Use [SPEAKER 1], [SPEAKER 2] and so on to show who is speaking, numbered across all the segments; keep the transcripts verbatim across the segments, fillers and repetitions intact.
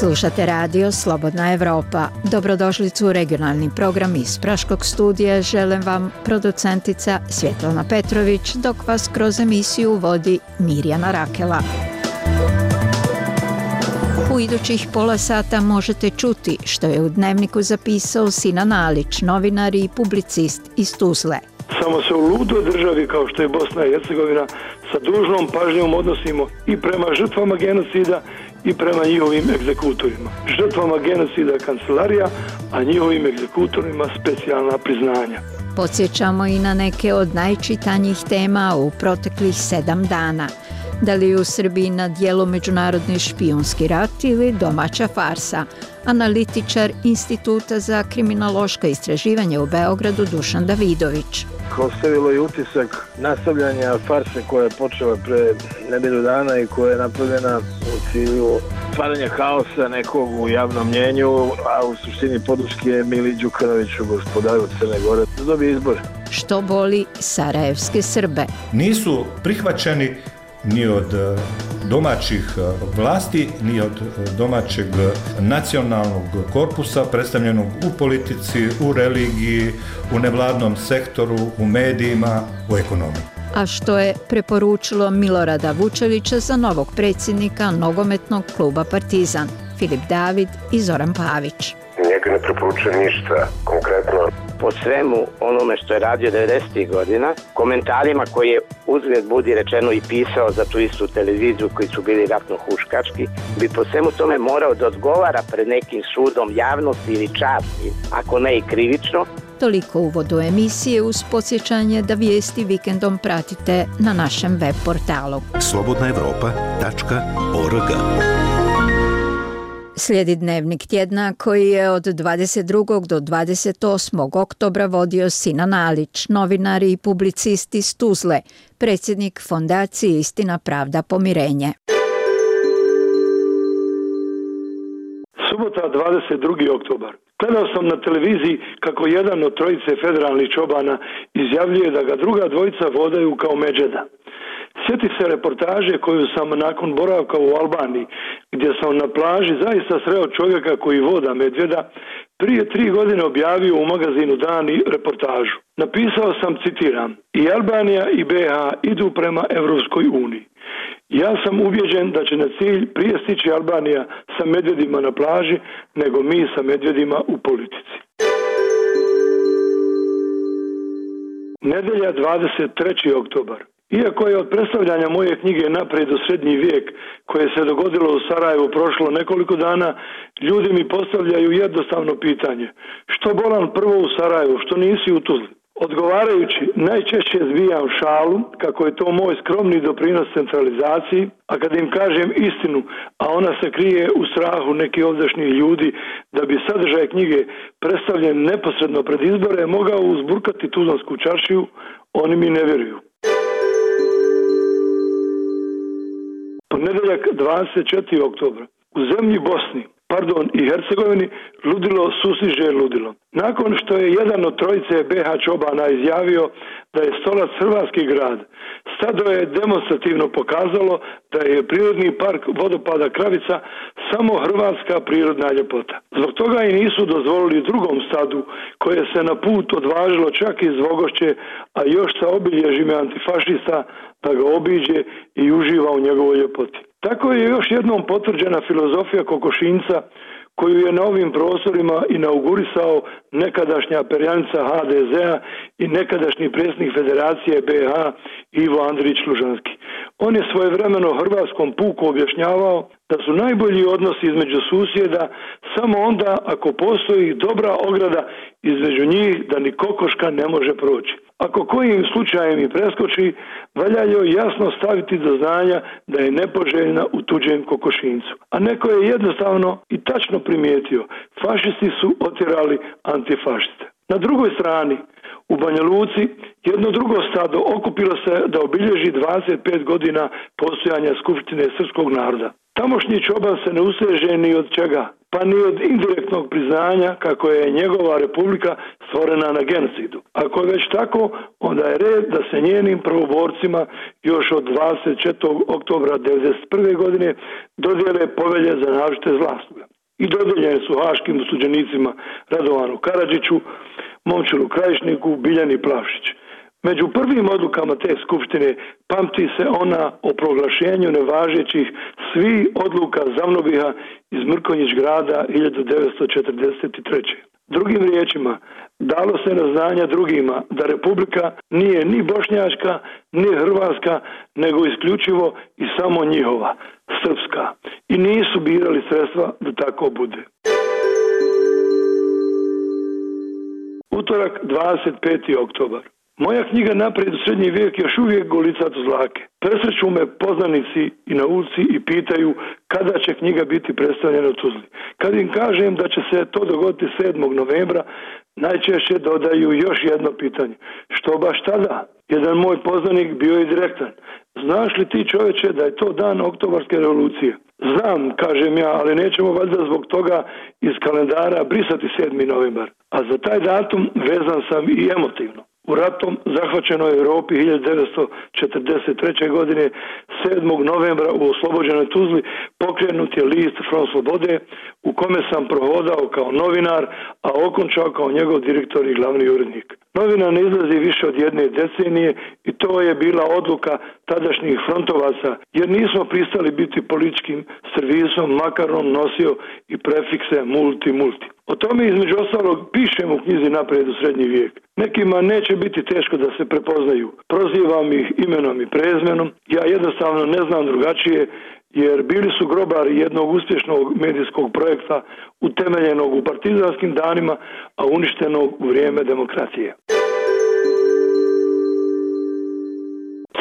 [SPEAKER 1] Slušate radio Slobodna Evropa. Dobrodošlicu u regionalni program iz Praškog studija. Želim vam producentica Svjetlana Petrović, dok vas kroz emisiju vodi Mirjana Rakela. U idućih pola sata možete čuti što je u Dnevniku zapisao Sinan Alić, novinar i publicist iz Tuzle.
[SPEAKER 2] Samo se u ludoj državi kao što je Bosna i Hercegovina sa dužnom pažnjom odnosimo i prema žrtvama genocida i prema njihovim egzekutorima. Žrtvama genocida kancelarija, a njihovim egzekutorima specijalna priznanja.
[SPEAKER 1] Podsjećamo i na neke od najčitanjih tema u proteklih sedam dana. Da li je u Srbiji na dijelu međunarodni špijunski rat ili domaća farsa? Analitičar Instituta za kriminološka istraživanja u Beogradu Dušan Davidović.
[SPEAKER 3] Ostavilo je utisak nastavljanja farse koja je počela pre nedelju dana i koja je napravljena u cilju stvaranja haosa nekog u javnom mnjenju, a u suštini podrške Mili Đukanoviću, gospodaru Crne Gore, da dobije izbor.
[SPEAKER 1] Što boli sarajevske Srbe?
[SPEAKER 4] Nisu prihvaćeni ni od domaćih vlasti, ni od domaćeg nacionalnog korpusa predstavljenog u politici, u religiji, u nevladnom sektoru, u medijima, u ekonomiji.
[SPEAKER 1] A što je preporučilo Milorada Vučevića za novog predsjednika nogometnog kluba Partizan, Filip David i Zoran Pavić.
[SPEAKER 5] Njega ne preporučujem ništa konkretno.
[SPEAKER 6] Po svemu onome što je radio devedesetih godina, komentarima koje je uzgled budi rečeno i pisao za tu istu televiziju koji su bili ratno huškački, bi po svemu tome morao da odgovara pred nekim sudom javnosti ili časti, ako ne i krivično.
[SPEAKER 1] Toliko uvodu emisije uz podsjećanje da vijesti vikendom pratite na našem web portalu
[SPEAKER 7] slobodna evropa tačka org.
[SPEAKER 1] Slijedi Dnevnik tjedna koji je od dvadeset drugog do dvadeset osmog oktobra vodio Sinan Alić, novinar i publicist iz Tuzle, predsjednik Fondacije Istina, pravda, pomirenje.
[SPEAKER 2] Subota, dvadeset drugi oktobar. Gledao sam na televiziji kako jedan od trojice federalnih čobana izjavljuje da ga druga dvojica vodaju kao međeda. Sjeti se reportaže koju sam nakon boravka u Albaniji, gdje sam na plaži zaista sreo čovjeka koji voda medvjeda, prije tri godine objavio u magazinu Dan i reportažu. Napisao sam, citiram, i Albanija i B H idu prema Evropskoj uniji. Ja sam ubjeđen da će na cilj prije stići Albanija sa medvjedima na plaži, nego mi sa medvjedima u politici. Nedelja, dvadeset treći oktobar. Iako je od predstavljanja moje knjige Naprijed u srednji vijek, koje se dogodilo u Sarajevu prošlo nekoliko dana, ljudi mi postavljaju jednostavno pitanje. Što bolan prvo u Sarajevu, što nisi u Tuzli? Odgovarajući, najčešće zbijam šalu, kako je to moj skromni doprinos centralizaciji, a kad im kažem istinu, a ona se krije u strahu nekih ovdašnjih ljudi, da bi sadržaj knjige predstavljen neposredno pred izbore mogao uzburkati tuzlansku čaršiju, oni mi ne vjeruju. Ponedjeljak, dvadeset četvrtog oktobra. U zemlji Bosni, pardon i Hercegovini, ludilo sustiže ludilo. Nakon što je jedan od trojice B H čobana izjavio da je Stolac hrvatski grad, stado je demonstrativno pokazalo da je prirodni park vodopada Kravica samo hrvatska prirodna ljepota. Zbog toga i nisu dozvolili drugom stadu koje se na put odvažilo čak iz Vogošće, a još sa obilježime antifašista, da ga obiđe i uživa u njegovoj ljepoti. Tako je još jednom potvrđena filozofija kokošinca koju je na ovim prostorima inaugurisao nekadašnja perjanica H D Z-a i nekadašnji predsjednik Federacije B H Ivo Andrić Lužanski. On je svojevremeno hrvatskom puku objašnjavao da su najbolji odnosi između susjeda samo onda ako postoji dobra ograda između njih da ni kokoška ne može proći. Ako kojim slučajem i preskoči, valja joj jasno staviti do znanja da je nepoželjna u tuđem kokošincu. A neko je jednostavno i tačno primijetio, fašisti su otjerali antifašiste. Na drugoj strani, u Banja Luci, jedno drugo stado okupilo se da obilježi dvadeset pet godina postojanja Skupštine srpskog naroda. Tamošnji čoban se ne useže ni od čega, pa ni od indirektnog priznanja kako je njegova republika stvorena na genocidu. Ako je već tako, onda je red da se njenim prvoborcima još od dvadeset četvrtog oktobra devedeset prve godine dodijele povelje za naročite zasluge. i dodijeljene su haškim osuđenicima Radovanu Karadžiću, Momčilu Krajišniku, Biljani Plavšić. Među prvim odlukama te skupštine pamti se ona o proglašenju nevažećih svih odluka Zavnobiha iz Mrkonjić grada hiljadu devetsto četrdeset treće. Drugim riječima, dalo se na znanja drugima da Republika nije ni bošnjačka, ni hrvatska, nego isključivo i samo njihova, srpska. I nisu birali sredstva da tako bude. Utorak, dvadeset peti oktobar. Moja knjiga Naprijed u srednji vijek još uvijek golicat uz zlake. Presreću me poznanici i na ulici i pitaju kada će knjiga biti predstavljena u Tuzli. Kad im kažem da će se to dogoditi sedmog novembra, najčešće dodaju još jedno pitanje. Što baš tada? Jedan moj poznanik bio je direktan. Znaš li ti, čoveče, da je to dan Oktobarske revolucije? Znam, kažem ja, ali nećemo valjda zbog toga iz kalendara brisati sedmi novembar. A za taj datum vezan sam i emotivno. U ratom zahvaćenoj Europi hiljadu devetsto četrdeset treće. godine sedmog novembra u oslobođenoj Tuzli pokrenut je list Front Slobode u kome sam prohodao kao novinar, a okončao kao njegov direktor i glavni urednik. Novina ne izlazi više od jedne decenije i to je bila odluka tadašnjih frontovaca, jer nismo pristali biti političkim servisom, makar on nosio i prefikse multi multi. O tome između ostalog pišem u knjizi Naprijed u srednji vijek. Nekima neće biti teško da se prepoznaju. Prozivam ih imenom i prezmenom. Ja jednostavno ne znam drugačije, jer bili su grobari jednog uspješnog medijskog projekta utemeljenog u partizanskim danima, a uništenog u vrijeme demokracije.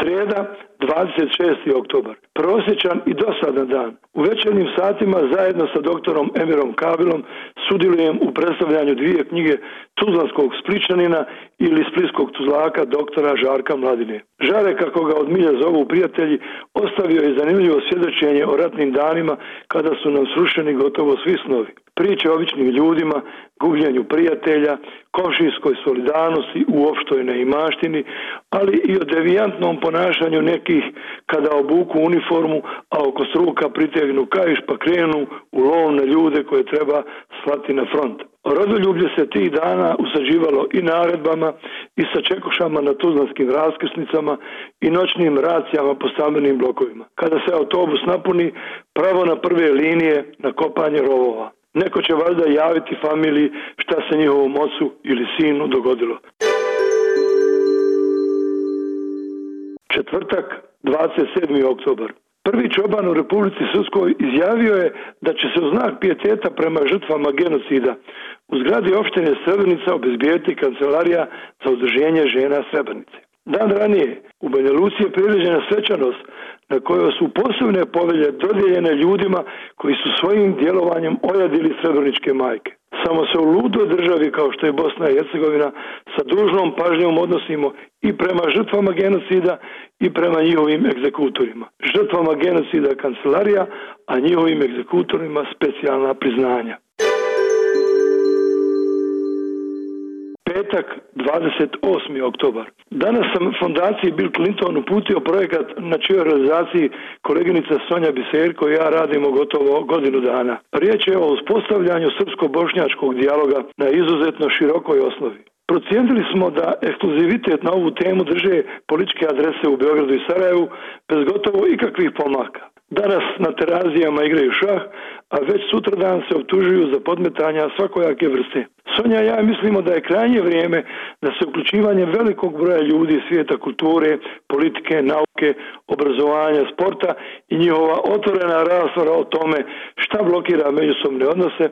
[SPEAKER 2] Srijeda, dvadeset šesti oktobar. Prosječan i dosadan dan. U večernjim satima zajedno sa doktorom Emirom Kabilom sudjelujem u predstavljanju dvije knjige tuzlanskog Spličanina ili splitskog tuzlaka doktora Žarka Mladine. Žare, kako ga od milja zovu prijatelji, ostavio je zanimljivo svjedočenje o ratnim danima kada su nam srušeni gotovo svi snovi. Priče o običnim ljudima, gubljenju prijatelja, komšijskoj solidarnosti u opštoj neimaštini, ali i o devijantnom ponašanju nekih kada obuku uniformu, a oko struka pritegnu kaiš pa krenu u lov na ljude koje treba slati na front. Rodoljublje se tih dana usađivalo i naredbama i sa čekušama na tuzlanskim raskrsnicama i noćnim racijama po stambenim blokovima. Kada se autobus napuni, pravo na prve linije na kopanje rovova. Neko će valjda javiti familiji šta se njihovom ocu ili sinu dogodilo. Četvrtak, dvadeset sedmi oktobar. Prvi čoban u Republici Srpskoj izjavio je da će se u znak pijeteta prema žrtvama genocida u zgradi opštine Srebrenica obezbijediti kancelarija za udruženje žena Srebrenice. Dan ranije u Banja Luci je priređena svečanost na kojoj su posebne povelje dodijeljene ljudima koji su svojim djelovanjem ojadili srebreničke majke. Samo se u ludoj državi kao što je Bosna i Hercegovina sa dužnom pažnjom odnosimo i prema žrtvama genocida i prema njihovim egzekutorima. Žrtvama genocida kancelarija, a njihovim egzekutorima specijalna priznanja. Petak, dvadeset osmi oktobar. Danas sam fondaciji Bill Clinton uputio projekat na čijoj realizaciji koleginica Sonja Biserko i ja radimo gotovo godinu dana. Riječ je o uspostavljanju srpsko-bošnjačkog dijaloga na izuzetno širokoj osnovi. Procijenili smo da ekskluzivitet na ovu temu drže političke adrese u Beogradu i Sarajevu bez gotovo ikakvih pomaka. Danas na terazijama igraju šah, a već sutradan se optužuju za podmetanja svakojake vrste. Sonja i ja mislimo da je krajnje vrijeme da se uključivanje velikog broja ljudi iz svijeta kulture, politike, nauke, obrazovanja, sporta i njihova otvorena rasprava o tome šta blokira međusobne odnose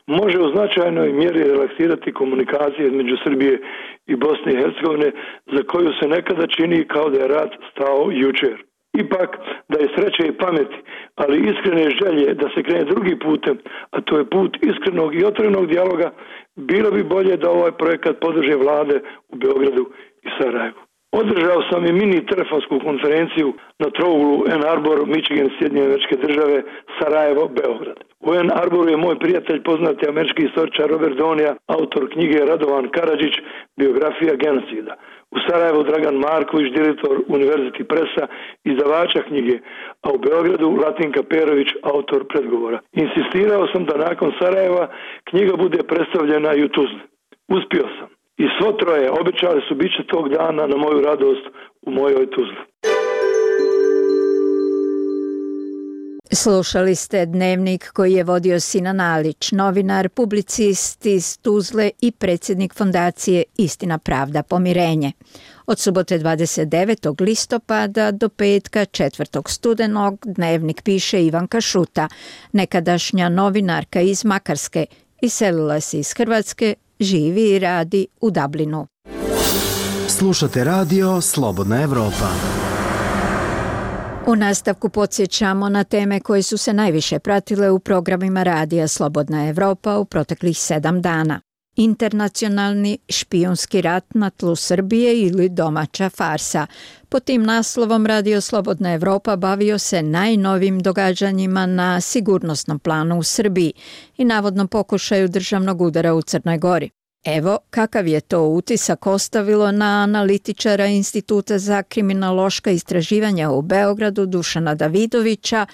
[SPEAKER 2] može u značajnoj mjeri relaksirati komunikacije između Srbije i Bosne i Hercegovine, za koju se nekada čini kao da je rat stao jučer. Ipak, da je sreće i pameti, ali iskrene želje da se krene drugi putem, a to je put iskrenog i otvorenog dijaloga, bilo bi bolje da ovaj projekat podrže vlade u Beogradu i Sarajevu. Održao sam i mini telefonsku konferenciju na trouglu Ann Arbor, Michigan, Sjedinjene Američke Države, Sarajevo, Beograd. U Ann Arboru je moj prijatelj, poznati američki istoričar Robert Donija, autor knjige Radovan Karadžić, biografija genocida. U Sarajevu Dragan Marković, direktor University Pressa, izdavača knjige, a u Beogradu Latinka Perović, autor predgovora. Insistirao sam da nakon Sarajeva knjiga bude predstavljena i u Tuzli. Uspio sam. I svo troje obećali su bit će tog dana na moju radost u mojoj Tuzli.
[SPEAKER 1] Slušali ste dnevnik koji je vodio Sinan Alić, novinar, publicist iz Tuzle i predsjednik fondacije Istina, pravda, pomirenje. Od subote dvadeset devetog listopada do petka četvrtog studenog dnevnik piše Ivanka Šuta, nekadašnja novinarka iz Makarske, iselila se iz Hrvatske, živi i radi u Dublinu.
[SPEAKER 8] Slušate radio Slobodna Evropa.
[SPEAKER 1] U nastavku podsjećamo na teme koje su se najviše pratile u programima radija Slobodna Evropa u proteklih sedam dana. Internacionalni špijunski rat na tlu Srbije ili domaća farsa. Pod tim naslovom Radio Slobodna Evropa bavio se najnovim događanjima na sigurnosnom planu u Srbiji i navodnom pokušaju državnog udara u Crnoj Gori. Evo kakav je to utisak ostavilo na analitičara Instituta za kriminološka istraživanja u Beogradu Dušana Davidovića,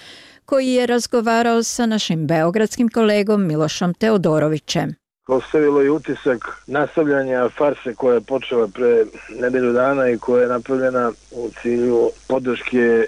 [SPEAKER 1] koji je razgovarao sa našim beogradskim kolegom Milošom Teodorovićem.
[SPEAKER 3] Ostavilo je utisak nastavljanja farse koja je počela pre nedelju dana i koja je napravljena u cilju podrške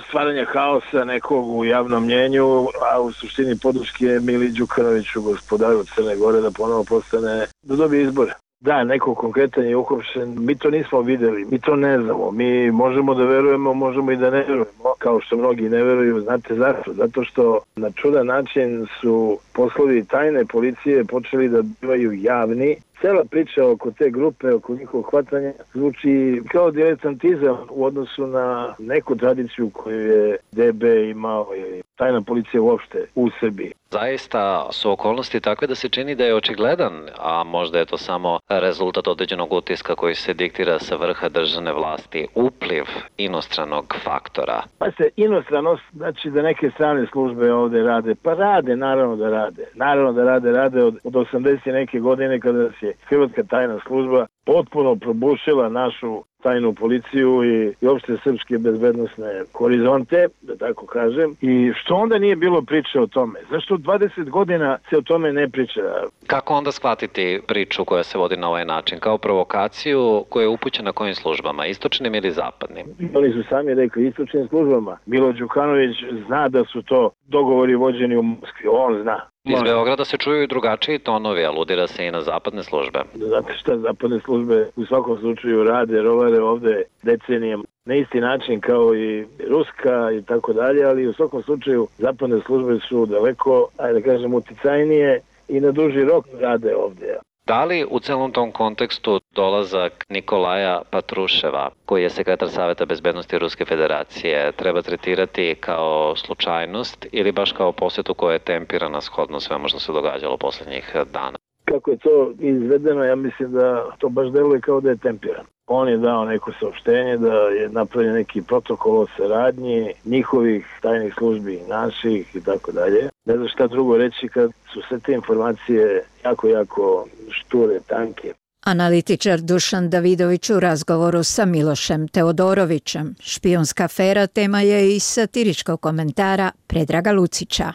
[SPEAKER 3] stvaranja haosa nekog u javnom mnjenju, a u suštini podrške Mili Đukanoviću, gospodaru Crne Gore, da ponovo postane, da dobije izbore. Da, neko konkretan je uhapšen, mi to nismo videli, mi to ne znamo, mi možemo da verujemo, možemo i da ne verujemo, kao što mnogi ne veruju, znate zašto? Zato što na čudan način su poslovi tajne policije počeli da bivaju javni. Cela priča oko te grupe, oko njihovog hvatanja, zvuči kao diletantizam u odnosu na neku tradiciju koju je D B imao ili tajna policija uopšte u Srbiji.
[SPEAKER 9] Zaista su okolnosti takve da se čini da je očigledan, a možda je to samo rezultat određenog utiska koji se diktira sa vrha državne vlasti, upliv inostranog faktora.
[SPEAKER 3] Pa se inostranost, znači da neke strane službe ovde rade, pa rade, naravno da rade. Naravno da rade, rade od, od osamdeset neke godine kada se Hrvatska tajna služba potpuno probušila našu tajnu policiju i, i opšte srpske bezbednosne horizonte, da tako kažem. I što onda nije bilo priče o tome? Zašto dvadeset godina se o tome ne priča?
[SPEAKER 9] Kako onda shvatiti priču koja se vodi na ovaj način? Kao provokaciju koja je upućena kojim službama? Istočnim ili zapadnim?
[SPEAKER 3] Oni su sami rekli istočnim službama. Milo Đukanović zna da su to dogovori vođeni u Moskvi. On zna.
[SPEAKER 9] Iz Beograda se čuju i drugačiji tonovi, aludira se i na zapadne službe.
[SPEAKER 3] Znate šta, zapadne službe u svakom slučaju rade, rovare ovde decenijama na isti način kao i Ruska i tako dalje, ali u svakom slučaju zapadne službe su daleko, ajde da kažem, uticajnije i na duži rok rade ovde.
[SPEAKER 9] Da li u celom tom kontekstu dolazak Nikolaja Patruševa, koji je sekretar Saveta bezbednosti Ruske federacije, treba tretirati kao slučajnost ili baš kao posjetu koja je tempirana shodno svemu što se događalo poslednjih dana?
[SPEAKER 3] Kako je to izvedeno, ja mislim da to baš deluje kao da je tempirano. On je dao neko saopštenje da je napravljen neki protokol o saradnji njihovih tajnih službi, naših i tako dalje. Ne znam šta drugo reći kad su sve te informacije jako, jako šture, tanke.
[SPEAKER 1] Analitičar Dušan Davidović u razgovoru sa Milošem Teodorovićem. Špijunska afera tema je i satiričkog komentara Predraga Lucića.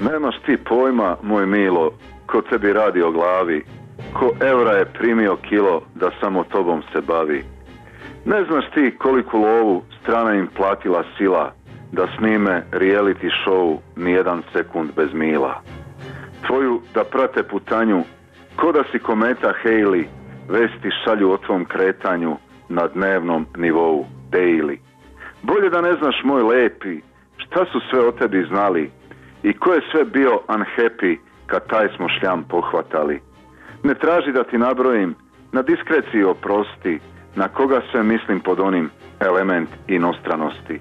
[SPEAKER 10] Nemaš ti pojma, moj Milo, ko tebi radi o glavi, ko evra je primio kilo da samo tobom se bavi. Ne znaš ti koliku lovu strana im platila sila da snime reality show nijedan sekund bez mila. Tvoju da prate putanju, ko da si kometa Halley, vesti šalju o tvom kretanju na dnevnom nivou, daily. Bolje da ne znaš, moj lepi, šta su sve o tebi znali i ko je sve bio unhappy kad taj smo šljam pohvatali. Ne traži da ti nabrojim, na diskreciji oprosti, na koga sve mislim pod onim element inostranosti.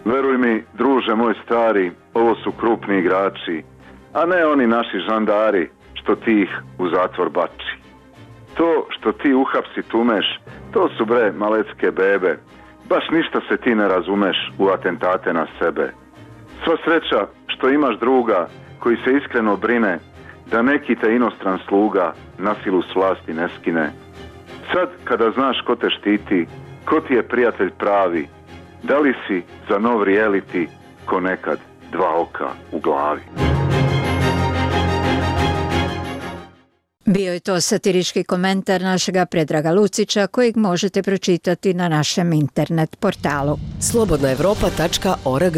[SPEAKER 10] Veruj mi, druže moj stari, ovo su krupni igrači, a ne oni naši žandari što ti ih u zatvor bači. To što ti uhapsi tumeš, to su bre malecke bebe. Baš ništa se ti ne razumeš u atentate na sebe. Sva sreća što imaš druga koji se iskreno brine da neki te inostran sluga na silu s vlasti ne skine. Sad kada znaš ko te štiti, ko ti je prijatelj pravi, da li si za nov reality ko nekad dva oka u glavi.
[SPEAKER 1] Bio je to satirički komentar našega Predraga Lucića kojeg možete pročitati na našem internet portalu
[SPEAKER 11] slobodna evropa tačka org.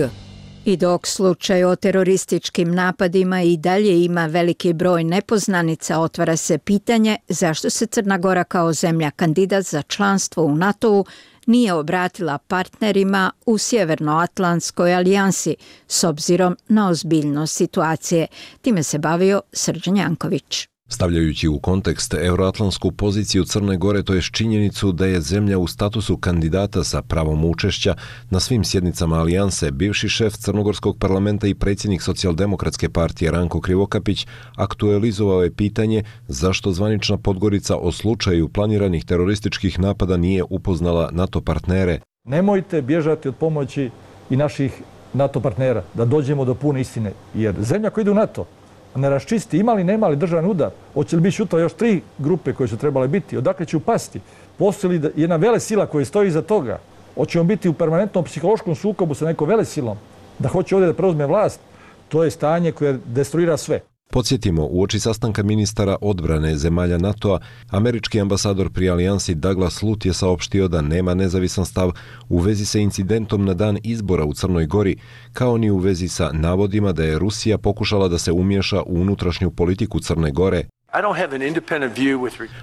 [SPEAKER 1] I dok slučaj o terorističkim napadima i dalje ima veliki broj nepoznanica, otvara se pitanje zašto se Crna Gora kao zemlja kandidat za članstvo u NATO-u nije obratila partnerima u Sjevernoatlantskoj alijansi s obzirom na ozbiljnost situacije. Time se bavio Srđan Janković.
[SPEAKER 12] Stavljajući u kontekst euroatlantsku poziciju Crne Gore, to je činjenicu da je zemlja u statusu kandidata sa pravom učešća na svim sjednicama alijanse, bivši šef Crnogorskog parlamenta i predsjednik Socijaldemokratske partije Ranko Krivokapić aktualizovao je pitanje zašto zvanična Podgorica o slučaju planiranih terorističkih napada nije upoznala NATO partnere.
[SPEAKER 13] Nemojte bježati od pomoći i naših NATO partnera, da dođemo do pune istine, jer zemlja koja ide u NATO ne raščisti ima li, nema li državni udar, hoće li biti sutra još tri grupe koje su trebale biti, odakle će upasti, postoji li jedna vele sila koja stoji iza toga, hoćemo biti u permanentnom psihološkom sukobu sa nekom vele silom, da hoće ovdje da preuzme vlast, to je stanje koje destruira sve.
[SPEAKER 12] Podsjetimo, uoči sastanka ministara odbrane zemalja NATO-a, američki ambasador pri alijansi Douglas Lut je saopštio da nema nezavisan stav u vezi sa incidentom na dan izbora u Crnoj Gori, kao ni u vezi sa navodima da je Rusija pokušala da se umiješa u unutrašnju politiku Crne Gore.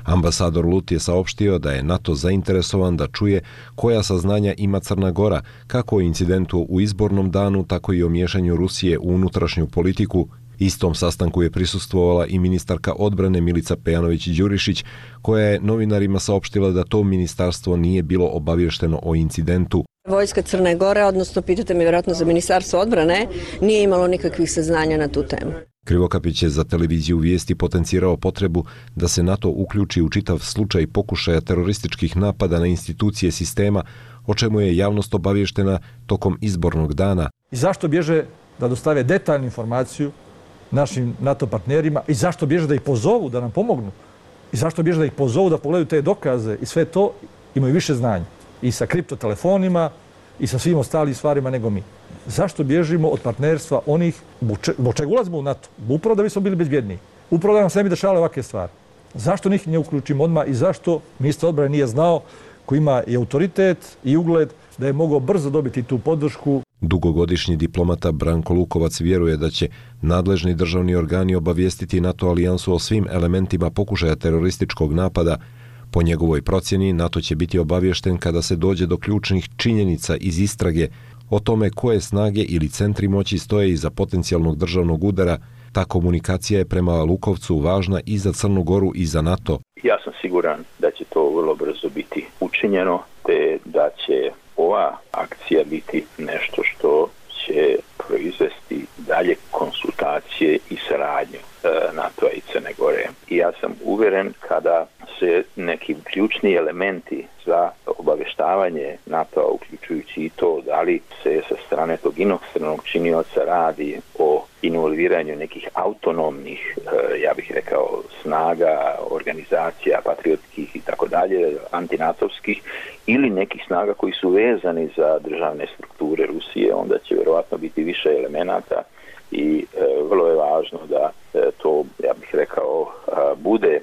[SPEAKER 12] Ambasador Lut je saopštio da je NATO zainteresovan da čuje koja saznanja ima Crna Gora, kako o incidentu u izbornom danu, tako i o miješanju Rusije u unutrašnju politiku. Istom sastanku je prisustvovala i ministarka odbrane Milica Pejanović-Đurišić, koja je novinarima saopštila da to ministarstvo nije bilo obavješteno o incidentu.
[SPEAKER 14] Vojska Crne Gore, odnosno pitate me vjerojatno za ministarstvo odbrane, nije imalo nikakvih saznanja na tu temu.
[SPEAKER 12] Krivokapić je za televiziju Vijesti potencirao potrebu da se NATO uključi u čitav slučaj pokušaja terorističkih napada na institucije sistema, o čemu je javnost obavještena tokom izbornog dana.
[SPEAKER 13] I zašto bježe da dostave detaljnu informaciju našim NATO partnerima i zašto bježe da ih pozovu da nam pomognu i zašto bježe da ih pozovu da pogledaju te dokaze i sve to, imaju više znanja i sa kriptotelefonima i sa svim ostalim stvarima nego mi. Zašto bježimo od partnerstva onih, zbog čega ulazimo u NATO? Upravo da bismo bili bezbjedniji. Upravo da nam se ne bi dešavale ovakve stvari. Zašto njih ne uključimo odmah i zašto ministar odbrane nije znao, koji ima i autoritet i ugled, da je mogao brzo dobiti tu podršku.
[SPEAKER 12] Dugogodišnji diplomata Branko Lukovac vjeruje da će nadležni državni organi obavijestiti NATO alijansu o svim elementima pokušaja terorističkog napada. Po njegovoj procjeni, NATO će biti obaviješten kada se dođe do ključnih činjenica iz istrage o tome koje snage ili centri moći stoje iza potencijalnog državnog udara. Ta komunikacija je prema Lukovcu važna i za Crnu Goru i za NATO.
[SPEAKER 15] Ja sam siguran da će to vrlo brzo biti učinjeno, te da će ova akcija biti nešto što će proizvesti dalje konsultacije i saradnju e, NATO-a i Crne Gore. I ja sam uvjeren kada se neki ključni elementi za obavještavanje NATO-a, uključujući i to da li se sa strane tog inostranog činioca radi o involviranju nekih autonomnih, e, ja bih rekao, snaga, organizacija, patriotskih i tako dalje, antinatovskih, ili nekih snaga koji su vezani za državne strukture Rusije, onda će vjerovatno biti više elemenata i e, vrlo je važno da e, to, ja bih rekao, a, bude e,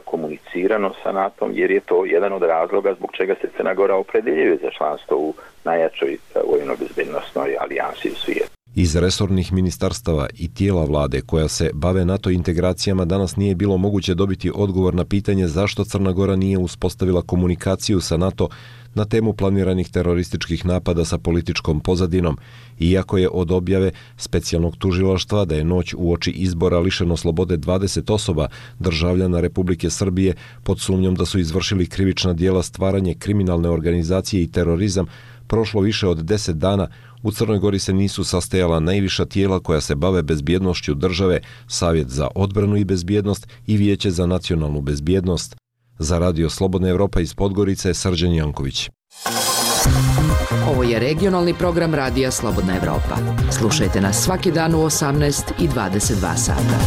[SPEAKER 15] komunicirano sa NATO-om, jer je to jedan od razloga zbog čega se Crna Gora opredeljuje za članstvo u najjačoj vojno-bezbednosnoj alijansi u svijetu.
[SPEAKER 12] Iz resornih ministarstava i tijela vlade koja se bave NATO integracijama danas nije bilo moguće dobiti odgovor na pitanje zašto Crna Gora nije uspostavila komunikaciju sa NATO na temu planiranih terorističkih napada sa političkom pozadinom, iako je od objave specijalnog tužilaštva da je noć uoči izbora lišeno slobode dvadeset osoba državljana Republike Srbije pod sumnjom da su izvršili krivična djela stvaranje kriminalne organizacije i terorizam prošlo više od deset dana, u Crnoj Gori se nisu sastajala najviša tijela koja se bave bezbjednošću države, Savjet za odbranu i bezbjednost i Vijeće za nacionalnu bezbjednost. Za Radio Slobodna Evropa iz Podgorice, Srđan Janković.
[SPEAKER 11] Ovo je regionalni program Radija Slobodna Evropa. Slušajte nas svaki dan u osamnaest i dvadeset dva sata.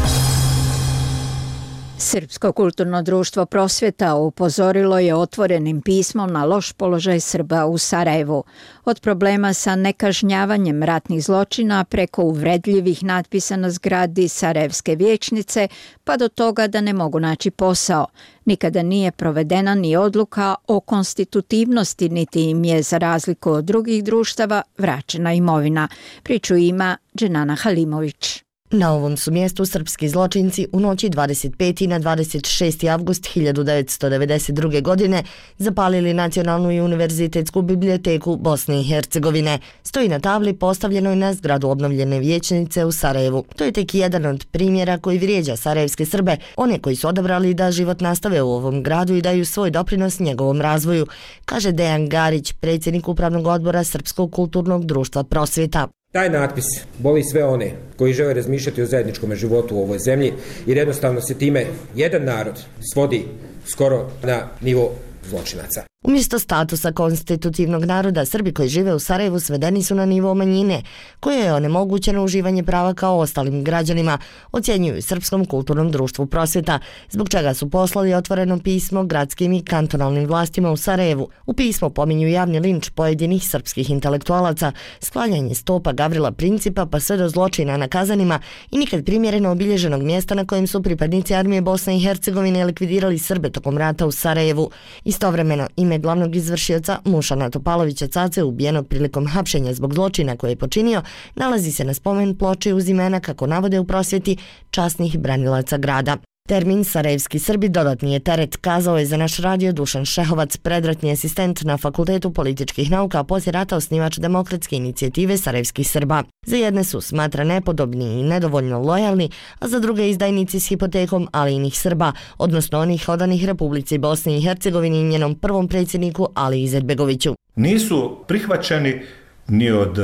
[SPEAKER 1] Srpsko kulturno društvo Prosvjeta upozorilo je otvorenim pismom na loš položaj Srba u Sarajevu. Od problema sa nekažnjavanjem ratnih zločina preko uvredljivih natpisa na zgradi Sarajevske vijećnice pa do toga da ne mogu naći posao. Nikada nije provedena ni odluka o konstitutivnosti, niti im je, za razliku od drugih društava, vraćena imovina. Priču ima Dženana Halimović.
[SPEAKER 16] Na ovom su mjestu srpski zločinci u noći dvadeset peti na dvadeset šesti avgust hiljadu devetsto devedeset druge. godine zapalili Nacionalnu i univerzitetsku biblioteku Bosne i Hercegovine. Stoji na tabli postavljenoj na zgradu obnovljene vijećnice u Sarajevu. To je tek jedan od primjera koji vrijeđa sarajevske Srbe, one koji su odabrali da život nastave u ovom gradu i daju svoj doprinos njegovom razvoju, kaže Dejan Garić, predsjednik upravnog odbora Srpskog kulturnog društva Prosvjeta.
[SPEAKER 17] Taj natpis boli sve one koji žele razmišljati o zajedničkom životu u ovoj zemlji, jer jednostavno se time jedan narod svodi skoro na nivo zločinaca.
[SPEAKER 16] Umjesto statusa konstitutivnog naroda, Srbi koji žive u Sarajevu svedeni su na nivo manjine, koje je onemogućeno uživanje prava kao ostalim građanima, ocjenjuju Srpskom kulturnom društvu Prosvjeta, zbog čega su poslali otvoreno pismo gradskim i kantonalnim vlastima u Sarajevu. U pismu pominju javni linč pojedinih srpskih intelektualaca, sklanjanje stopa Gavrila Principa pa sve do zločina na Kazanima i nikad primjereno obilježenog mjesta na kojem su pripadnici armije Bosne i Hercegovine likvidirali Srbe tokom rata u Sarajevu. Istovremeno, ime glavnog izvršioca Mušana Topalovića Cace, ubijenog prilikom hapšenja zbog zločina koje je počinio, nalazi se na spomen ploči uz imena, kako navode u Prosvjeti, časnih branilaca grada. Termin sarajevski Srbi dodatni je teret, kazao je za naš radio Dušan Šehovac, predratni asistent na Fakultetu političkih nauka, a poslije rata osnivač demokratske inicijative sarajevskih Srba. Za jedne su smatra nepodobni i nedovoljno lojalni, a za druge izdajnici s hipotekom, ali inih Srba, odnosno onih odanih Republici Bosni i Hercegovini i njenom prvom predsjedniku Ali Izetbegoviću.
[SPEAKER 4] Nisu prihvaćeni ni od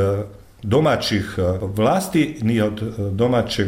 [SPEAKER 4] domaćih vlasti, ni od domaćeg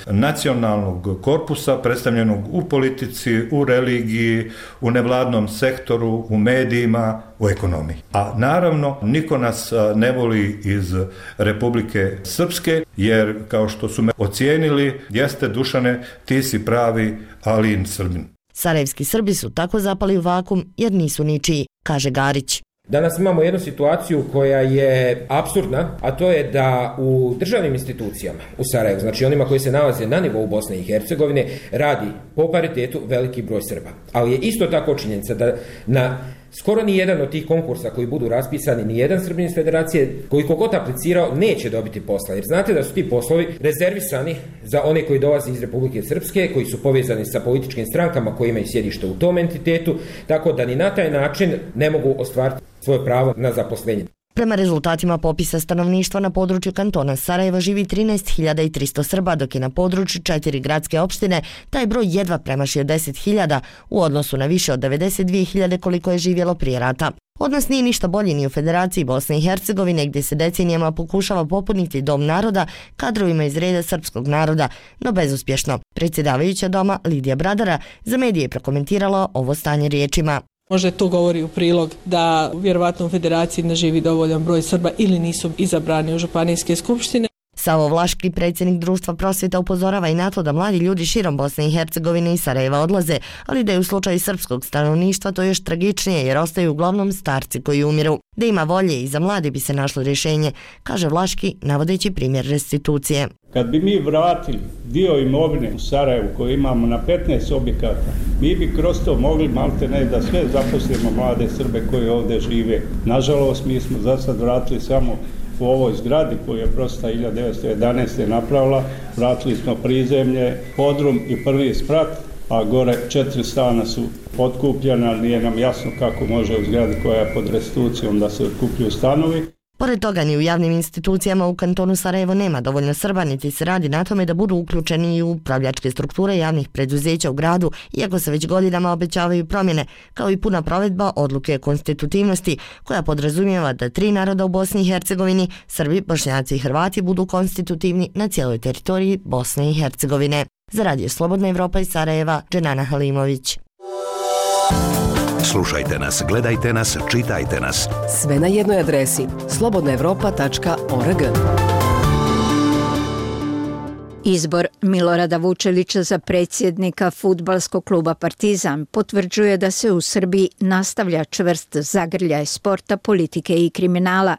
[SPEAKER 4] nacionalnog korpusa predstavljenog u politici, u religiji, u nevladnom sektoru, u medijima, u ekonomiji. A naravno, niko nas ne voli iz Republike Srpske, jer kao što su me ocijenili, jeste Dušane, ti si pravi Alijin Srbin.
[SPEAKER 16] Sarajevski Srbi su tako zapali u vakum jer nisu ničiji, kaže Garić.
[SPEAKER 17] Danas imamo jednu situaciju koja je apsurdna, a to je da u državnim institucijama u Sarajevu, znači onima koji se nalaze na nivou Bosne i Hercegovine, radi po paritetu veliki broj Srba. Ali je isto tako činjenica da na skoro ni jedan od tih konkursa koji budu raspisani, ni jedan Srbin iz federacije koji kogod aplicirao neće dobiti posla. Jer znate da su ti poslovi rezervisani za one koji dolaze iz Republike Srpske, koji su povezani sa političkim strankama koji imaju sjedište u tom entitetu, tako da ni na taj način ne mogu ostvariti svoje pravo na zaposlenje.
[SPEAKER 16] Prema rezultatima popisa stanovništva na području kantona Sarajeva živi trinaest hiljada tristo Srba, dok je na području četiri gradske opštine taj broj jedva premašio deset hiljada u odnosu na više od devedeset dvije hiljade koliko je živjelo prije rata. Odnos nije ništa bolji ni u Federaciji Bosne i Hercegovine, gdje se decenijama pokušava popuniti dom naroda kadrovima iz reda srpskog naroda, no bezuspješno. Predsjedavajuća doma Lidija Bradara za medije je prokomentirala ovo stanje riječima.
[SPEAKER 18] Možda to govori u prilog da vjerovatno u federaciji ne živi dovoljan broj Srba ili nisu izabrani u županijske skupštine.
[SPEAKER 16] Savo Vlaški, predsjednik društva Prosvjeta, upozorava i na to da mladi ljudi širom Bosne i Hercegovine i Sarajeva odlaze, ali da je u slučaju srpskog stanovništva to još tragičnije jer ostaju uglavnom starci koji umiru. Da ima volje i za mlade bi se našlo rješenje, kaže Vlaški, navodeći primjer restitucije.
[SPEAKER 19] Kad bi mi vratili dio imovine u Sarajevu koju imamo na petnaest objekata, mi bi kroz to mogli malte ne da sve zaposlimo mlade Srbe koji ovdje žive. Nažalost, mi smo za sad vratili samo u ovoj zgradi koju je Prosvjeta hiljadu devetsto jedanaeste. napravila, vratili smo prizemlje, podrum i prvi sprat, a gore četiri stana su otkupljena, ali nije nam jasno kako može u zgradi koja je pod restitucijom da se otkupljuju stanovi.
[SPEAKER 16] Pored toga, ni u javnim institucijama u kantonu Sarajevo nema dovoljno Srba, niti se radi na tome da budu uključeni i u upravljačke strukture javnih preduzeća u gradu, iako se već godinama obećavaju promjene, kao i puna provedba odluke konstitutivnosti, koja podrazumijeva da tri naroda u Bosni i Hercegovini, Srbi, Bošnjaci i Hrvati, budu konstitutivni na cijeloj teritoriji Bosne i Hercegovine. Za Radio Slobodna Evropa iz Sarajeva, Dženana Halimović.
[SPEAKER 7] Slušajte nas, gledajte nas, čitajte nas.
[SPEAKER 20] Sve na jednoj adresi slobodna evropa tačka org.
[SPEAKER 1] Izbor Milorada Vučelića za predsjednika fudbalskog kluba Partizan potvrđuje da se u Srbiji nastavlja čvrst zagrljaj sporta, politike i kriminala.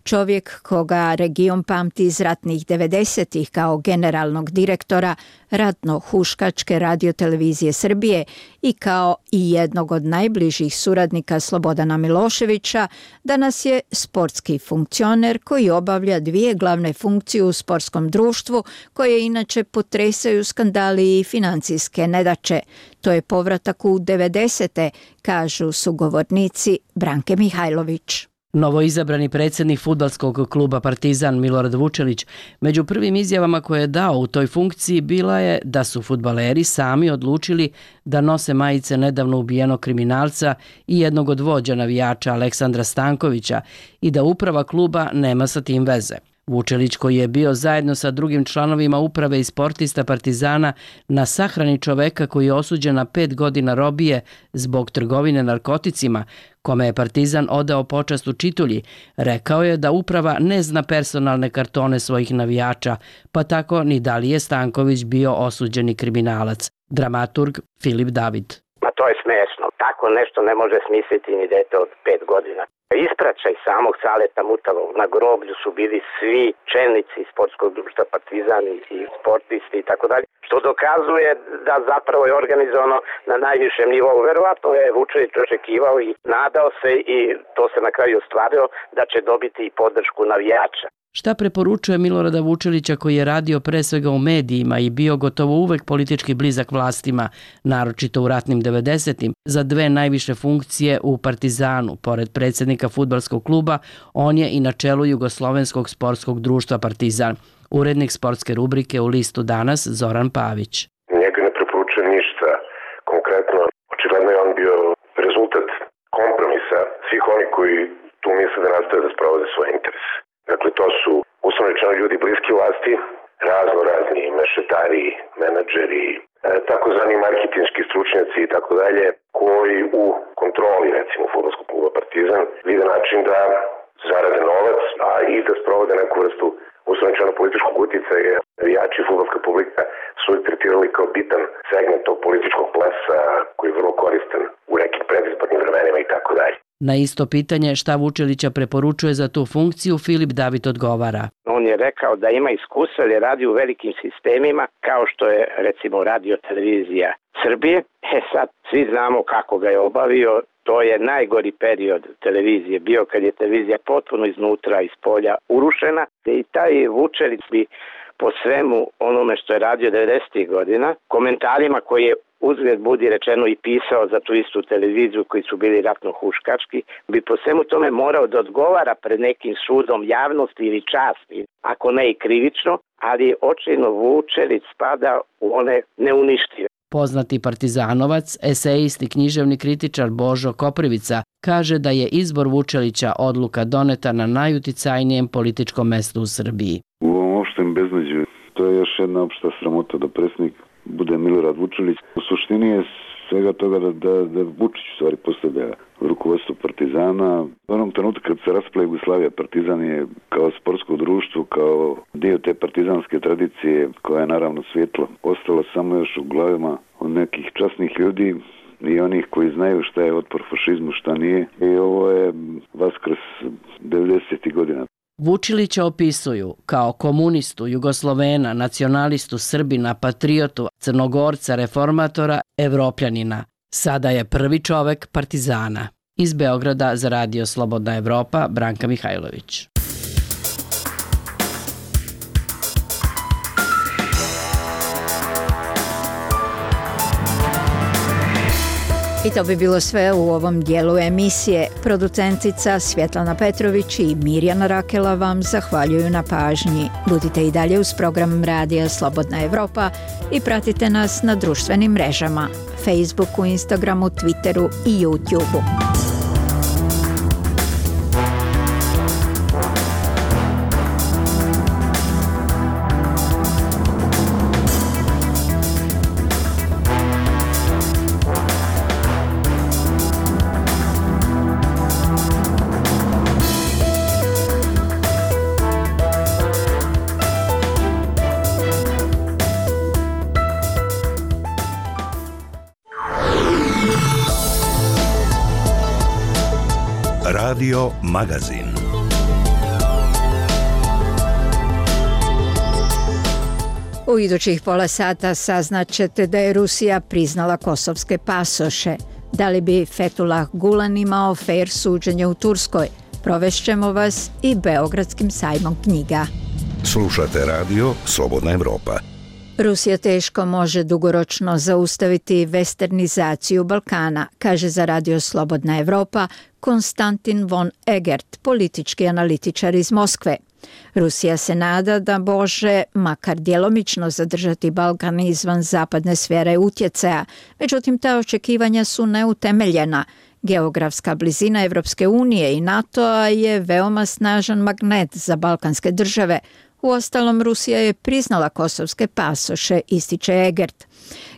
[SPEAKER 1] Čovjek koga region pamti iz ratnih devedesetih kao generalnog direktora ratno-huškačke radiotelevizije Srbije i kao i jednog od najbližih suradnika Slobodana Miloševića, danas je sportski funkcioner koji obavlja dvije glavne funkcije u sportskom društvu koje inače potresaju skandali i financijske nedaće. To je povratak u devedesete, kažu sugovornici Branke Mihajlović.
[SPEAKER 21] Novoizabrani predsjednik fudbalskog kluba Partizan Milorad Vučelić među prvim izjavama koje je dao u toj funkciji bila je da su fudbaleri sami odlučili da nose majice nedavno ubijenog kriminalca i jednog od vođa navijača Aleksandra Stankovića i da uprava kluba nema sa tim veze. Vučelić, koji je bio zajedno sa drugim članovima uprave i sportista Partizana na sahrani čoveka koji je osuđen na pet godina robije zbog trgovine narkoticima, kome je Partizan odao počast u Čitulji, rekao je da uprava ne zna personalne kartone svojih navijača, pa tako ni da li je Stanković bio osuđeni kriminalac. Dramaturg Filip David.
[SPEAKER 6] Ma to je smešno. Tako nešto ne može smisliti ni dete od pet godina. Ispraćaj samog Saleta Mutalog. Na groblju su bili svi čelnici sportskog društva Partizan i sportisti i tako dalje, što dokazuje da zapravo je organizovano na najvišem nivou. Verovatno je Vučelić očekivao i nadao se i to se na kraju ostvarilo da će dobiti i podršku navijača.
[SPEAKER 21] Šta preporučuje Milorada Vučelića, koji je radio pre svega u medijima i bio gotovo uvek politički blizak vlastima, naročito u ratnim devedesetim, za dve najviše funkcije u Partizanu? Pored predsjednika fudbalskog kluba, on je i na čelu Jugoslovenskog sportskog društva Partizan. Urednik sportske rubrike u listu Danas Zoran Pavić.
[SPEAKER 5] Njega ne preporučujem ništa konkretno. Očigledno je on bio rezultat kompromisa svih oni koji tu misle da nastave da sprovode svoje interese. Dakle, to su uslovno rečeno ljudi bliski vlasti, razno razni mešetari, menadžeri, e, takozvani marketinški stručnjaci i tako dalje, koji u kontroli, recimo, fudbalskog kluba Partizan vide način da zarade novac, a i da sprovode neku vrstu uslovno rečeno političkog uticaja. Navijači i fudbalska publika su ih tretirali kao bitan segment tog političkog plesa koji je vrlo koristan u nekim predizbornim vremenima i tako dalje.
[SPEAKER 21] Na isto pitanje šta Vučelića preporučuje za tu funkciju, Filip David odgovara.
[SPEAKER 6] On je rekao da ima iskustva jer je radio u velikim sistemima kao što je recimo radio televizija Srbije. E sad svi znamo kako ga je obavio. To je najgori period televizije bio kad je televizija potpuno iznutra, iz polja urušena. I taj Vučelić bi po svemu onome što je radio devedesetih godina, komentarima koje je uzgled budi rečeno i pisao za tu istu televiziju koji su bili ratno-huškački, bi po svemu tome morao da odgovara pred nekim sudom javnosti ili časti, ako ne i krivično, ali očajno Vučelić spada u one neuništive.
[SPEAKER 21] Poznati partizanovac, esejist i književni kritičar Božo Koprivica kaže da je izbor Vučelića odluka doneta na najuticajnijem političkom mestu u Srbiji.
[SPEAKER 22] U ovom opštem beznađu to je još jedna opšta sramota da predsjednik bude Milorad Vučelić. U suštini je svega toga da, da, da Vučić u stvari postavlja rukovodstvo Partizana. U onom trenutku kad se raspala Jugoslavija, Partizan je kao sportsko društvo, kao dio te partizanske tradicije, koja je naravno svjetla, ostala samo još u glavama od nekih časnih ljudi i onih koji znaju šta je otpor fašizmu, šta nije. I ovo je vaskrs devedesetih godina.
[SPEAKER 21] Vučilića opisuju kao komunistu, Jugoslovena, nacionalistu, Srbina, patriotu, Crnogorca, reformatora, Evropljanina. Sada je prvi čovek Partizana. Iz Beograda za Radio Slobodna Evropa, Branka Mihajlović.
[SPEAKER 1] I to bi bilo sve u ovom dijelu emisije. Producentica Svjetlana Petrović i Mirjana Rakela vam zahvaljuju na pažnji. Budite i dalje uz program Radija Slobodna Evropa i pratite nas na društvenim mrežama, Facebooku, Instagramu, Twitteru i YouTubeu.
[SPEAKER 7] Radio Magazin.
[SPEAKER 1] U idućih pola sata saznaćete da je Rusija priznala kosovske pasoše. Da li bi Fethullah Gulen imao fair suđenje u Turskoj? Provešćemo vas i Beogradskim sajmom knjiga.
[SPEAKER 7] Slušate radio Slobodna Evropa.
[SPEAKER 1] Rusija teško može dugoročno zaustaviti westernizaciju Balkana, kaže za radio Slobodna Evropa Konstantin von Egert, politički analitičar iz Moskve. Rusija se nada da može makar djelomično zadržati Balkan izvan zapadne sfere utjecaja, međutim ta očekivanja su neutemeljena. Geografska blizina Evropske unije i NATO-a je veoma snažan magnet za balkanske države. Uostalom, Rusija je priznala kosovske pasoše, ističe Egert.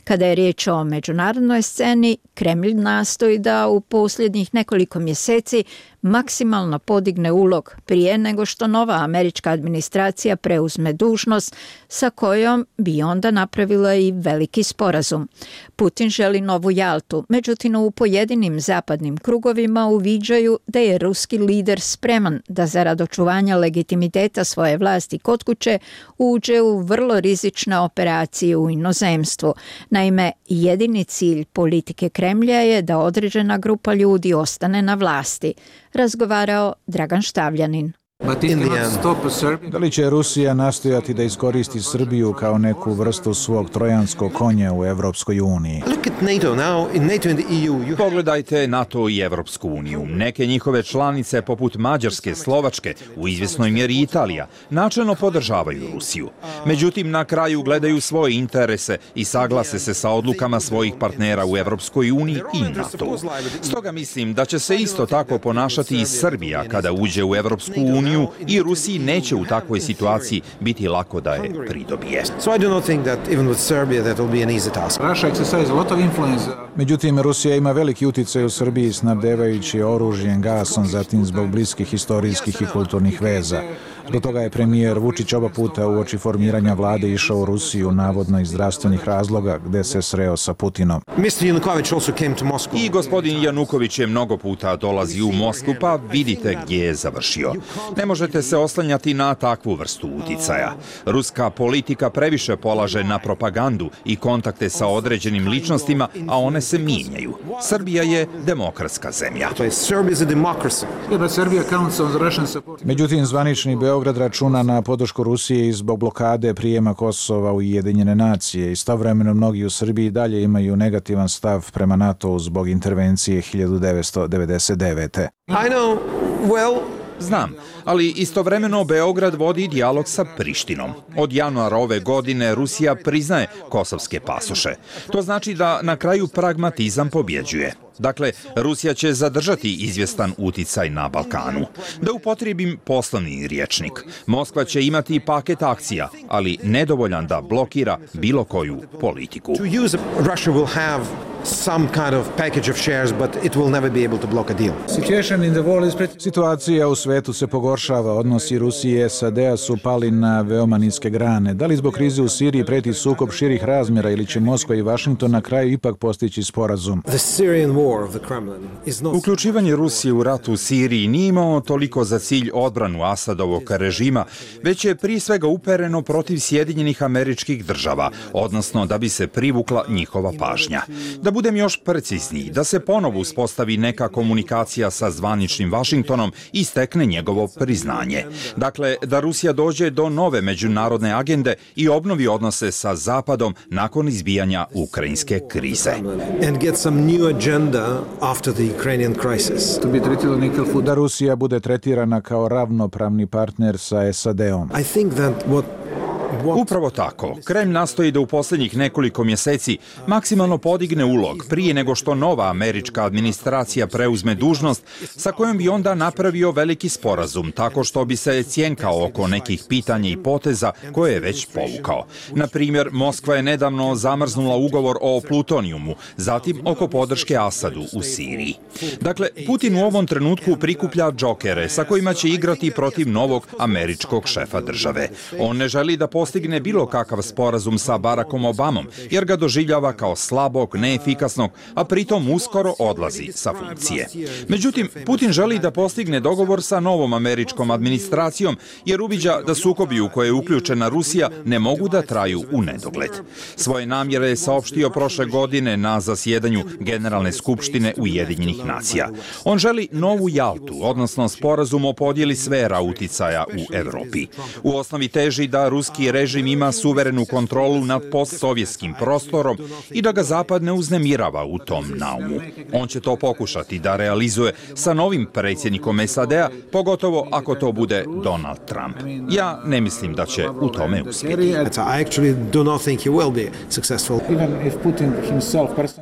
[SPEAKER 1] Kada je riječ o međunarodnoj sceni, Kremlj nastoji da u posljednjih nekoliko mjeseci maksimalno podigne ulog prije nego što nova američka administracija preuzme dužnost sa kojom bi onda napravila i veliki sporazum. Putin želi novu Jaltu, međutim u pojedinim zapadnim krugovima uviđaju da je ruski lider spreman da zarad očuvanja legitimiteta svoje vlasti kod kuće uđe u vrlo rizične operacije u inozemstvu. Naime, jedini cilj politike Kremlja je da određena grupa ljudi ostane na vlasti, razgovarao Dragan Štavljanin.
[SPEAKER 2] Da li će Rusija nastojati da iskoristi Srbiju kao neku vrstu svog trojanskog konja u Evropskoj uniji?
[SPEAKER 8] Pogledajte NATO i Evropsku uniju. Neke njihove članice, poput Mađarske, Slovačke, u izvjesnoj mjeri Italija, načelno podržavaju Rusiju. Međutim, na kraju gledaju svoje interese i saglase se sa odlukama svojih partnera u Evropskoj uniji i NATO. Stoga mislim da će se isto tako ponašati i Srbija kada uđe u Evropsku uniju i Rusiji neće u takvoj situaciji biti lako da je pridobije.
[SPEAKER 2] Međutim, Rusija ima veliki utjecaj u Srbiji snabdevajući oružjem, gasom, zatim zbog bliskih historijskih i kulturnih veza. Do toga je premijer Vučić oba puta uoči formiranja vlade išao u Rusiju, navodno iz zdravstvenih razloga, gde se sreo sa Putinom.
[SPEAKER 8] I gospodin Januković je mnogo puta dolazi u Moskvu, pa vidite gdje je završio. Ne možete se oslanjati na takvu vrstu uticaja. Ruska politika previše polaže na propagandu i kontakte sa određenim ličnostima, a one se mijenjaju. Srbija je demokratska zemlja.
[SPEAKER 2] Međutim, zvanični Beograd računa na podršku Rusije i zbog blokade prijema Kosova u Ujedinjene nacije. Istovremeno mnogi u Srbiji dalje imaju negativan stav prema NATO-u zbog intervencije hiljadu devetsto devedeset devete.
[SPEAKER 8] I know, well... Znam, ali istovremeno Beograd vodi dijalog sa Prištinom. Od januara ove godine Rusija priznaje kosovske pasoše. To znači da na kraju pragmatizam pobjeđuje. Dakle, Rusija će zadržati izvjestan uticaj na Balkanu. Da upotrijebim poslovni rječnik. Moskva će imati paket akcija, ali nedovoljan da blokira bilo koju politiku.
[SPEAKER 2] Some kind of package of shares, but it will never be able to block a deal. Situacija u svetu se pogoršava, odnosi Rusije i S A D-a su pali na veoma niske grane. Da li zbog krize u Siriji preti sukob širih razmjera ili će Moskva i Vašington na kraju ipak postići sporazum?
[SPEAKER 8] Uključivanje Rusije u rat u Siriji nije imao toliko za cilj odbranu Asadovog režima, već je prije svega upereno protiv Sjedinjenih Američkih Država, odnosno da bi se privukla njihova pažnja. Da budem još precizniji, da se ponovo uspostavi neka komunikacija sa zvaničnim Vašingtonom i stekne njegovo priznanje. Dakle, da Rusija dođe do nove međunarodne agende i obnovi odnose sa Zapadom nakon izbijanja ukrajinske krize.
[SPEAKER 2] Da Rusija bude tretirana kao ravnopravni partner sa S A D-om.
[SPEAKER 8] Upravo tako. Kremlj nastoji da u posljednjih nekoliko mjeseci maksimalno podigne ulog prije nego što nova američka administracija preuzme dužnost sa kojom bi onda napravio veliki sporazum tako što bi se cjenkao oko nekih pitanja i poteza koje je već povukao. Na primjer, Moskva je nedavno zamrznula ugovor o plutonijumu, zatim oko podrške Asadu u Siriji. Dakle, Putin u ovom trenutku prikuplja džokere sa kojima će igrati protiv novog američkog šefa države. On ne želi da postane postigne bilo kakav sporazum sa Barackom Obamom, jer ga doživljava kao slabog, neefikasnog, a pritom uskoro odlazi sa funkcije. Međutim, Putin želi da postigne dogovor sa novom američkom administracijom, jer uviđa da sukobi u koje je uključena Rusija ne mogu da traju u nedogled. Svoje namjere je saopštio prošle godine na zasjedanju Generalne skupštine Ujedinjenih nacija. On želi novu Jaltu, odnosno sporazum o podjeli sfera uticaja u Evropi. U osnovi teži da ruski režim ima suverenu kontrolu nad postsovjetskim prostorom i da ga Zapad ne uznemirava u tom naumu. On će to pokušati da realizuje sa novim predsjednikom S A D-a, pogotovo ako to bude Donald Trump. Ja ne mislim da će u tome uspjeti.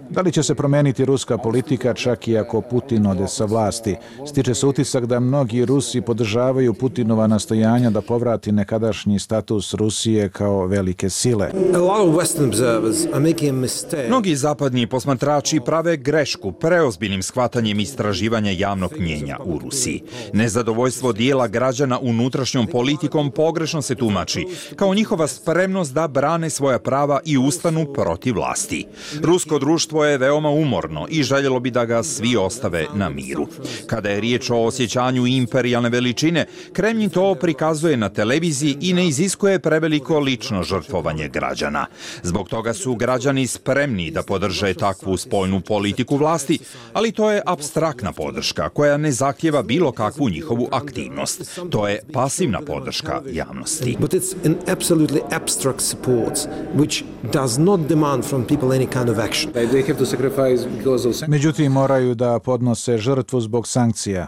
[SPEAKER 2] Da li će se promeniti ruska politika čak i ako Putin ode sa vlasti? Stiče se utisak da mnogi Rusi podržavaju Putinova nastojanja da povrati nekadašnji status Rusije kao velike sile.
[SPEAKER 8] Mnogi zapadni posmatrači prave grešku preozbiljnim shvatanjem istraživanja javnog mnjenja u Rusiji. Nezadovoljstvo dijela građana unutrašnjom politikom pogrešno se tumači kao njihova spremnost da brane svoja prava i ustanu protiv vlasti. Rusko društvo je veoma umorno i željelo bi da ga svi ostave na miru. Kada je riječ o osjećanju imperijalne veličine, Kremlin to prikazuje na televiziji i ne iziskuje preveliko lično žrtvovanje građana. Zbog toga su građani spremni da podrže takvu spoljnu politiku vlasti, ali to je apstraktna podrška koja ne zahtjeva bilo kakvu njihovu aktivnost. To je pasivna podrška javnosti.
[SPEAKER 2] Međutim, moraju da podnose žrtvu zbog sankcija.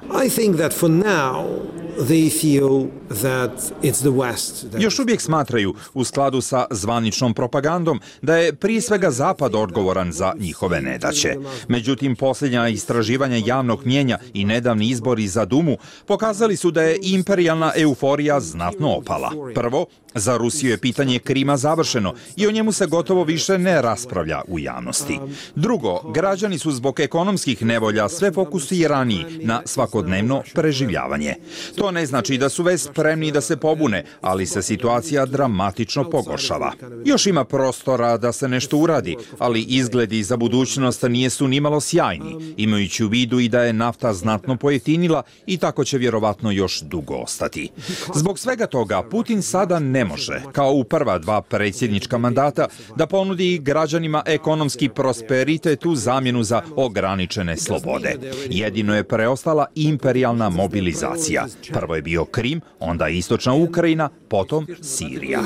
[SPEAKER 8] Još uvijek smatraju, u skladu sa zvaničnom propagandom, da je prije svega Zapad odgovoran za njihove nedaće. Međutim, posljednja istraživanja javnog mnjenja i nedavni izbori za Dumu pokazali su da je imperijalna euforija znatno opala. Prvo, za Rusiju je pitanje Krima završeno i o njemu se gotovo više ne raspravlja u javnosti. Drugo, građani su zbog ekonomskih nevolja sve fokusiraniji na svakodnevno preživljavanje. To ne znači da su već spremni da se pobune, ali se situacija dramatično pogoršava. Još ima prostora da se nešto uradi, ali izgledi za budućnost nijesu nimalo sjajni, imajući u vidu i da je nafta znatno pojeftinila i tako će vjerovatno još dugo ostati. Zbog svega toga, Putin sada ne može, kao u prva dva predsjednička mandata, da ponudi građanima ekonomski prosperitet u zamjenu za ograničene slobode. Jedino je preostala imperijalna mobilizacija. Prvo je bio Krim, onda istočna Ukrajina, potom Sirija.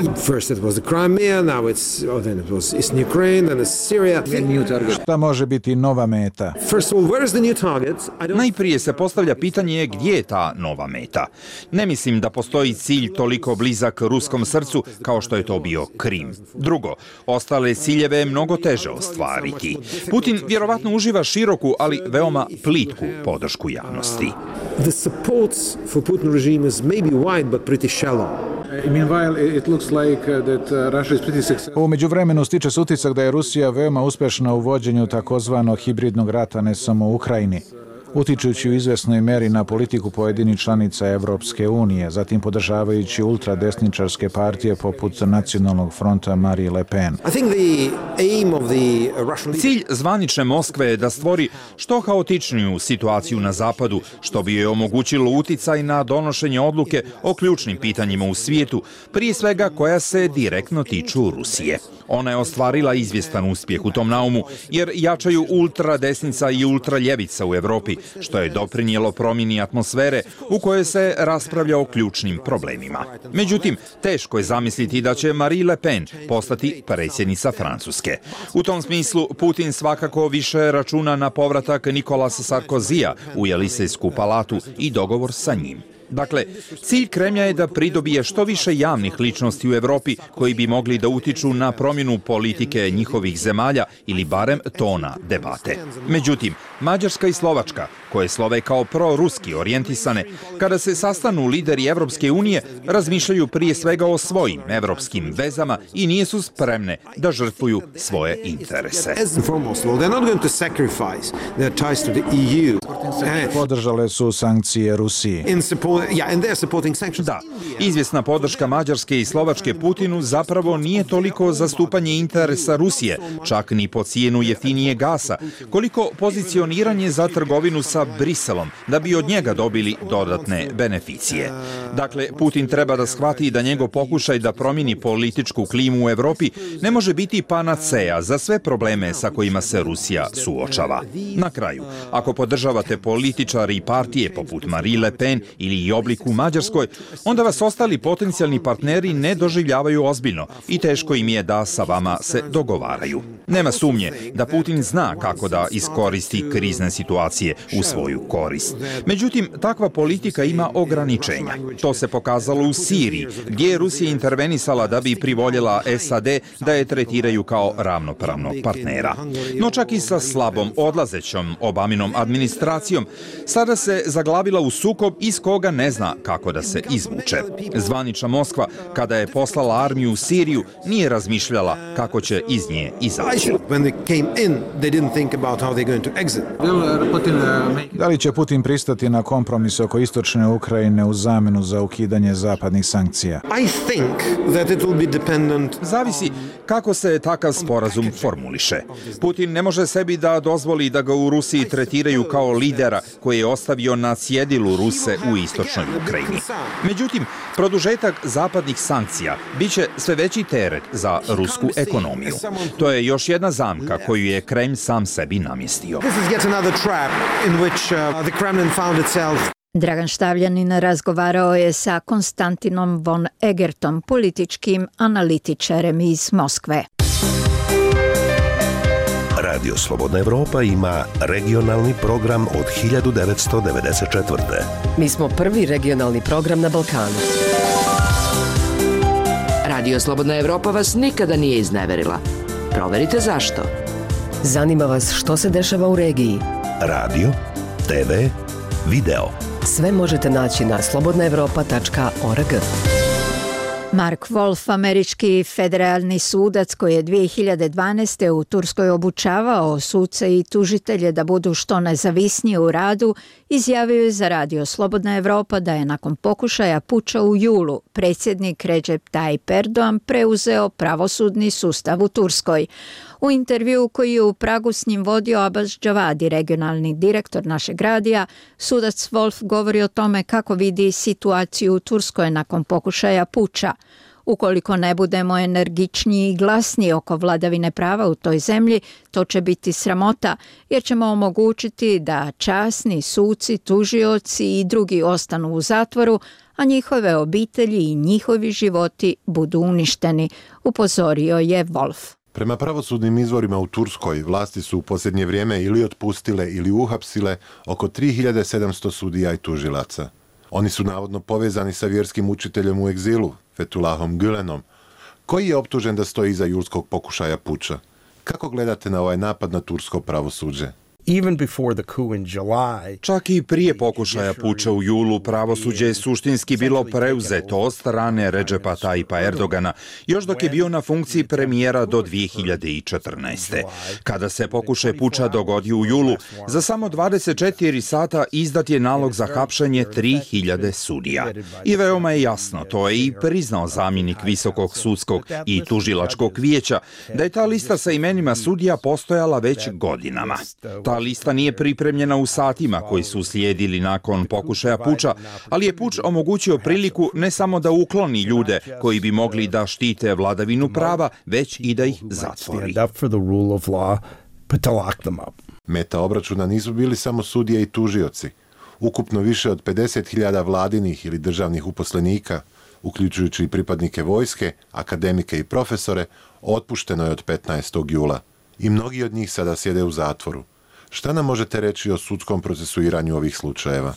[SPEAKER 2] Šta može biti nova meta?
[SPEAKER 8] Najprije se postavlja pitanje gdje je ta nova meta. Ne mislim da postoji cilj toliko blizak ruskom srcu kao što je to bio Krim. Drugo, ostale ciljeve je mnogo teže ostvariti. Putin vjerovatno uživa široku, ali veoma plitku podršku javnosti.
[SPEAKER 3] The support for Putin regime is maybe wide but pretty shallow.
[SPEAKER 2] Meanwhile, it looks like that Russia is pretty successful. U međuvremenu stiče se utisak da je Rusija veoma uspješna u vođenju takozvanog hibridnog rata ne samo u Ukrajini, utičući u izvesnoj meri na politiku pojedinih članica Evropske unije, zatim podržavajući ultradesničarske partije poput Nacionalnog fronta Marine Le Pen.
[SPEAKER 8] Cilj zvanične Moskve je da stvori što haotičniju situaciju na zapadu, što bi joj omogućilo uticaj na donošenje odluke o ključnim pitanjima u svijetu, prije svega koja se direktno tiču Rusije. Ona je ostvarila izvjestan uspjeh u tom naumu, jer jačaju ultradesnica i ultraljevica u Evropi, što je doprinijelo promjeni atmosfere u kojoj se raspravlja o ključnim problemima. Međutim, teško je zamisliti da će Marine Le Pen postati predsjednica Francuske. U tom smislu, Putin svakako više računa na povratak Nicolasa Sarkozija u Jelisejsku palatu i dogovor sa njim. Dakle, cilj Kremlja je da pridobije što više javnih ličnosti u Evropi koji bi mogli da utiču na promjenu politike njihovih zemalja ili barem tona debate. Međutim, Mađarska i Slovačka, koje slove kao proruski orijentisane, kada se sastanu lideri Evropske unije, razmišljaju prije svega o svojim evropskim vezama i nisu spremne da žrtvuju svoje interese.
[SPEAKER 2] Podržale su sankcije Rusiji.
[SPEAKER 8] Da, izvjesna podrška Mađarske i Slovačke Putinu zapravo nije toliko zastupanje interesa Rusije, čak ni po cijenu jeftinije gasa, koliko pozicioniranje za trgovinu sa Briselom, da bi od njega dobili dodatne beneficije. Dakle, Putin treba da shvati da njegov pokušaj da promijeni političku klimu u Evropi ne može biti panaceja za sve probleme sa kojima se Rusija suočava. Na kraju, ako podržavate političari i partije poput Marie Le Pen ili Jobbik u Mađarskoj, onda vas ostali potencijalni partneri ne doživljavaju ozbiljno i teško im je da sa vama se dogovaraju. Nema sumnje da Putin zna kako da iskoristi krizne situacije u svoju korist. Međutim, takva politika ima ograničenja. To se pokazalo u Siriji, gdje je Rusija intervenisala da bi privoljela S A D da je tretiraju kao ravnopravnog partnera. No čak i sa slabom odlazećom Obaminom administracijom, sada se zaglavila u sukob iz koga ne zna kako da se izvuče. Zvanična Moskva, kada je poslala armiju u Siriju, nije razmišljala kako će iz nje izaći.
[SPEAKER 2] Da li će Putin pristati na kompromis oko istočne Ukrajine u zamenu za ukidanje zapadnih sankcija?
[SPEAKER 8] Zavisi kako se takav sporazum formuliše. Putin ne može sebi da dozvoli da ga u Rusiji tretiraju kao lidera koji je ostavio na cjedilu Ruse u istočnoj Ukrajini. Međutim, produžetak zapadnih sankcija biće sve veći teret za rusku ekonomiju. To je još jedna zamka koju je Kremlj sam sebi namjestio.
[SPEAKER 1] Dragan Štavljanin razgovarao je sa Konstantinom von Egertom, političkim analitičarem iz Moskve.
[SPEAKER 7] Radio Slobodna Evropa ima regionalni program od hiljadu devetsto devedeset četvrte.
[SPEAKER 20] Mi smo prvi regionalni program na Balkanu.
[SPEAKER 11] Radio Slobodna Evropa vas nikada nije izneverila. Proverite zašto.
[SPEAKER 20] Zanima vas što se dešava u regiji.
[SPEAKER 7] Radio, te ve, video.
[SPEAKER 20] Sve možete naći na slobodna evropa tačka org.
[SPEAKER 1] Mark Wolf, američki federalni sudac koji je dvije hiljade dvanaeste. u Turskoj obučavao suce i tužitelje da budu što nezavisnije u radu, izjavio je za Radio Slobodna Evropa da je nakon pokušaja puča u julu predsjednik Recep Tayyip Erdogan preuzeo pravosudni sustav u Turskoj. U intervju koji je u Pragu s njim vodio Abbas Javadi, regionalni direktor našeg radija, sudac Wolf govori o tome kako vidi situaciju u Turskoj nakon pokušaja puča. Ukoliko ne budemo energičniji i glasniji oko vladavine prava u toj zemlji, to će biti sramota, jer ćemo omogućiti da časni suci, tužioci i drugi ostanu u zatvoru, a njihove obitelji i njihovi životi budu uništeni, upozorio je Wolf.
[SPEAKER 9] Prema pravosudnim izvorima u Turskoj, vlasti su u posljednje vrijeme ili otpustile ili uhapsile oko tri hiljade sedamsto sudija i tužilaca. Oni su navodno povezani sa vjerskim učiteljem u egzilu, Fethullahom Gülenom, koji je optužen da stoji iza julskog pokušaja puča. Kako gledate na ovaj napad na tursko pravosuđe?
[SPEAKER 8] Čak i prije pokušaja puča u julu, pravosuđe je suštinski bilo preuzeto od strane Recepa Tayyipa Erdogana, još dok je bio na funkciji premijera do dvije hiljade četrnaeste. Kada se pokušaj puča dogodio u julu, za samo dvadeset četiri sata izdat je nalog za hapšenje tri hiljade sudija. I veoma je jasno, to je i priznao zamjenik Visokog sudskog i tužilačkog vijeća, da je ta lista sa imenima sudija postojala već godinama. Ta lista nije pripremljena u satima koji su slijedili nakon pokušaja puča, ali je puč omogućio priliku ne samo da ukloni ljude koji bi mogli da štite vladavinu prava, već i da ih zatvori.
[SPEAKER 9] Meta obračuna nisu bili samo sudije i tužioci. Ukupno više od pedeset hiljada vladinih ili državnih uposlenika, uključujući i pripadnike vojske, akademike i profesore, otpušteno je od petnaestog jula. I mnogi od njih sada sjede u zatvoru. Šta nam možete reći o sudskom procesuiranju ovih slučajeva?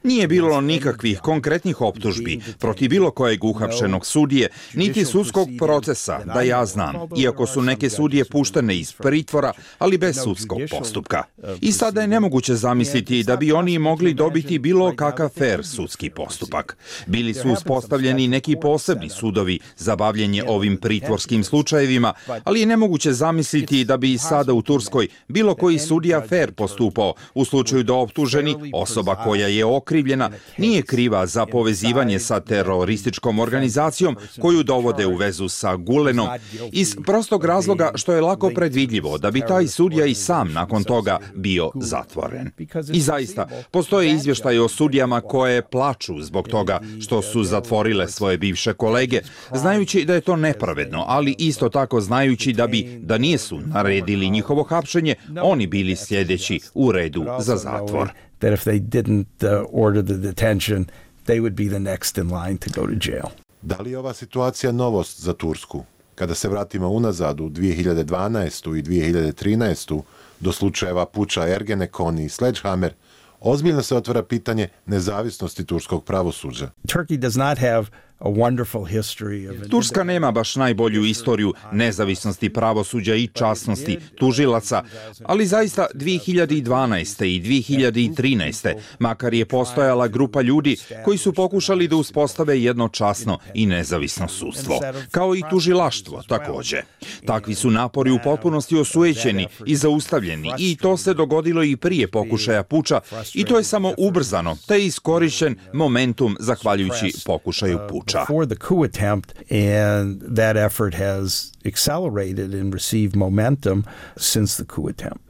[SPEAKER 8] Nije bilo nikakvih konkretnih optužbi protiv bilo kojeg uhapšenog sudije, niti sudskog procesa, da ja znam, iako su neke sudije puštene iz pritvora, ali bez sudskog postupka. I sada je nemoguće zamisliti da bi oni mogli dobiti bilo kakav fair sudski postupak. Bili su uspostavljeni neki posebni sudovi za bavljenje ovim pritvorskim slučajevima, ali je nemoguće zamisliti zamisliti da bi sada u Turskoj bilo koji sudija fer postupao u slučaju da optuženi, osoba koja je okrivljena, nije kriva za povezivanje sa terorističkom organizacijom koju dovode u vezu sa Gulenom, iz prostog razloga što je lako predvidljivo da bi taj sudija i sam nakon toga bio zatvoren. I zaista, postoje izvještaje o sudijama koje plaču zbog toga što su zatvorile svoje bivše kolege, znajući da je to nepravedno, ali isto tako znajući da bi, da nisu naredili njihovo hapšenje, oni bili sljedeći u redu za zatvor.
[SPEAKER 9] Da li je ova situacija novost za Tursku? Kada se vratimo unazad u dvije hiljade dvanaestu. i dvije hiljade trinaestu. do slučajeva puča Ergenekon i Sledgehammer, ozbiljno se otvara pitanje nezavisnosti turskog pravosuđa.
[SPEAKER 10] Turkey does not have a wonderful history of...
[SPEAKER 8] Turska nema baš najbolju istoriju nezavisnosti pravosuđa i časnosti tužilaca, ali zaista dvije hiljade dvanaeste. i dvije hiljade trinaeste. makar je postojala grupa ljudi koji su pokušali da uspostave jedno časno i nezavisno sudstvo, kao i tužilaštvo također. Takvi su napori u potpunosti osujećeni i zaustavljeni i to se dogodilo i prije pokušaja puča i to je samo ubrzano, te je iskorišćen momentum zahvaljujući pokušaju puča.
[SPEAKER 10] Before the coup attempt, and that effort has accelerated and received momentum since the coup attempt.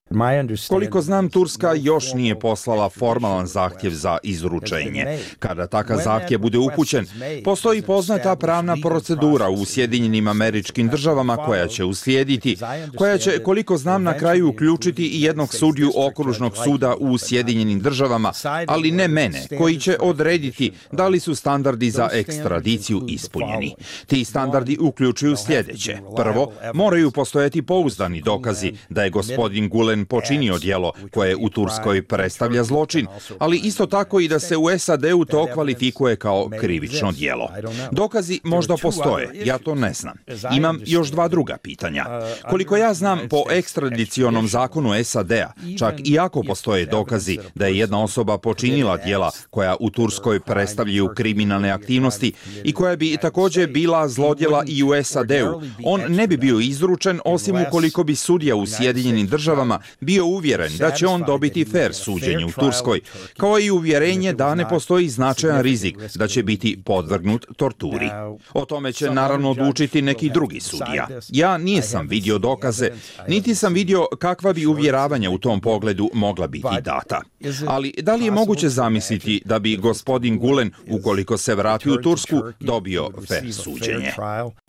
[SPEAKER 8] Koliko znam, Turska još nije poslala formalan zahtjev za izručenje. Kada takav zahtjev bude upućen, postoji poznata pravna procedura u Sjedinjenim Američkim Državama koja će uslijediti, koja će, koliko znam, na kraju uključiti i jednog sudiju okružnog suda u Sjedinjenim Državama, ali ne mene, koji će odrediti da li su standardi za ekstradiciju ispunjeni. Ti standardi uključuju sljedeće. Prvo, moraju postojati pouzdani dokazi da je gospodin Gulen počinio djelo koje u Turskoj predstavlja zločin, ali isto tako i da se u S A D-u to kvalifikuje kao krivično djelo. Dokazi možda postoje, ja to ne znam. Imam još dva druga pitanja. Koliko ja znam, po ekstradicionom zakonu S A D-a, čak i ako postoje dokazi da je jedna osoba počinila djela koja u Turskoj predstavljaju kriminalne aktivnosti i koja bi također bila zlodjela i u S A D-u, on ne bi bio izručen osim ukoliko bi sudija u Sjedinjenim Državama bio uvjeren da će on dobiti fer suđenje u Turskoj, kao i uvjerenje da ne postoji značajan rizik da će biti podvrgnut torturi. O tome će naravno odlučiti neki drugi sudija. Ja nisam vidio dokaze, niti sam vidio kakva bi uvjeravanja u tom pogledu mogla biti data. Ali da li je moguće zamisliti da bi gospodin Gulen, ukoliko se vrati u Tursku, dobio fer suđenje?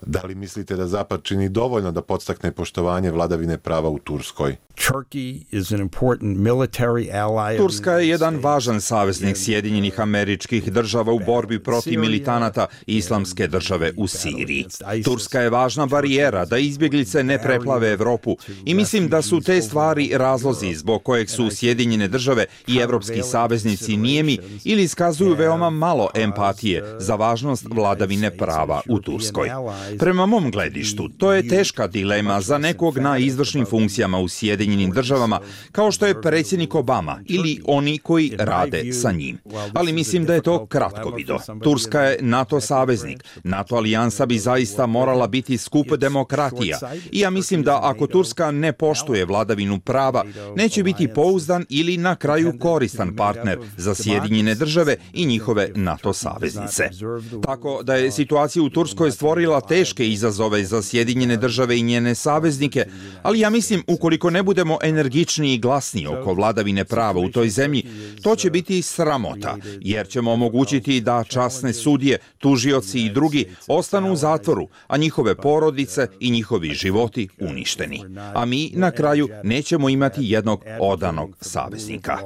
[SPEAKER 9] Da li mislite da Zapad čini dovoljno da podstakne poštovanje vladavine prava u Turskoj?
[SPEAKER 8] Turska je jedan važan saveznik Sjedinjenih Američkih Država u borbi protiv militanata Islamske države u Siriji. Turska je važna barijera da izbjeglice ne preplave Evropu i mislim da su te stvari razlozi zbog kojeg su Sjedinjene Države i evropski saveznici nijemi ili iskazuju veoma malo empatije za važnost vladavine prava u Turskoj. Prema mom gledištu, to je teška dilema za nekog na izvršnim funkcijama u Sjedinjenim Državama, kao što je predsjednik Obama ili oni koji rade sa njim. Ali mislim da je to kratkovido. Turska je NATO saveznik. NATO alijansa bi zaista morala biti skup demokratija. I ja mislim da ako Turska ne poštuje vladavinu prava, neće biti pouzdan ili na kraju koristan partner za Sjedinjene Države i njihove NATO saveznice. Tako da je situacija u Turskoj stvorila teške izazove za Sjedinjene Države i njene saveznike, ali ja mislim ukoliko ne budemo energičniji i glasniji oko vladavine prava u toj zemlji, to će biti sramota, jer ćemo omogućiti da časne sudije, tužioci i drugi ostanu u zatvoru, a njihove porodice i njihovi životi uništeni. A mi na kraju nećemo imati jednog odanog saveznika.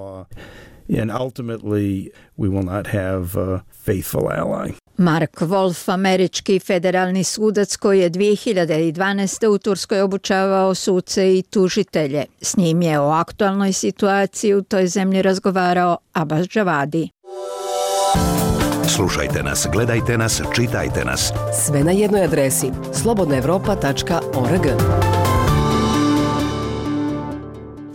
[SPEAKER 10] And ultimately we will not have a faithful ally.
[SPEAKER 1] Mark Wolf, američki federalni sudac koji je dvije hiljade dvanaeste. u Turskoj obučavao suce i tužitelje. S njim je o aktualnoj situaciji u toj zemlji razgovarao Abbas Javadi.
[SPEAKER 7] Slušajte nas, gledajte nas, čitajte nas.
[SPEAKER 20] Sve na jednoj adresi slobodna evropa tačka org.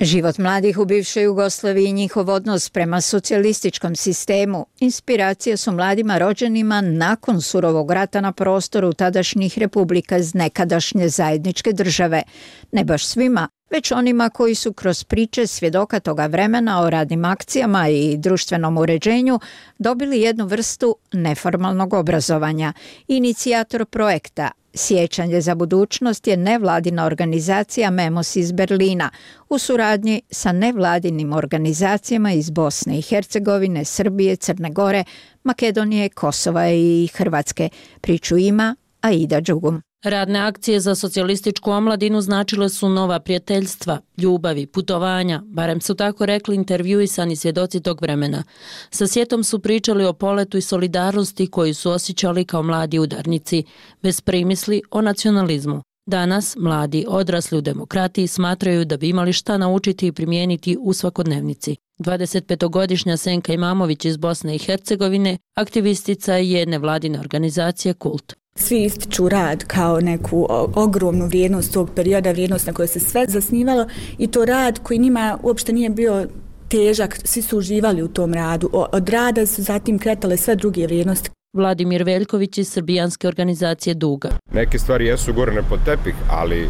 [SPEAKER 1] Život mladih u bivšoj Jugoslaviji i njihov odnos prema socijalističkom sistemu inspiracija su mladima rođenima nakon surovog rata na prostoru tadašnjih republika iz nekadašnje zajedničke države. Ne baš svima, već onima koji su kroz priče svjedoka toga vremena o radnim akcijama i društvenom uređenju dobili jednu vrstu neformalnog obrazovanja. Inicijator projekta Sjećanje za budućnost je nevladina organizacija Memos iz Berlina u suradnji sa nevladinim organizacijama iz Bosne i Hercegovine, Srbije, Crne Gore, Makedonije, Kosova i Hrvatske. Priču ima Aida Đugum.
[SPEAKER 13] Radne akcije za socijalističku omladinu značile su nova prijateljstva, ljubavi, putovanja, barem su tako rekli intervjuisani svjedoci tog vremena. Sa sjetom su pričali o poletu i solidarnosti koju su osjećali kao mladi udarnici, bez primisli o nacionalizmu. Danas mladi odrasli u demokratiji smatraju da bi imali šta naučiti i primijeniti u svakodnevnici. dvadesetpetogodišnja Senka Imamović iz Bosne i Hercegovine aktivistica je nevladine organizacije Kult.
[SPEAKER 14] Svi ističu rad kao neku ogromnu vrijednost tog perioda, vrijednost na kojoj se sve zasnivalo i to rad koji njima uopšte nije bio težak, svi su uživali u tom radu. Od rada su zatim kretale sve druge vrijednosti.
[SPEAKER 13] Vladimir Veljković iz srbijanske organizacije Duga.
[SPEAKER 23] Neke stvari jesu gurane pod tepih, ali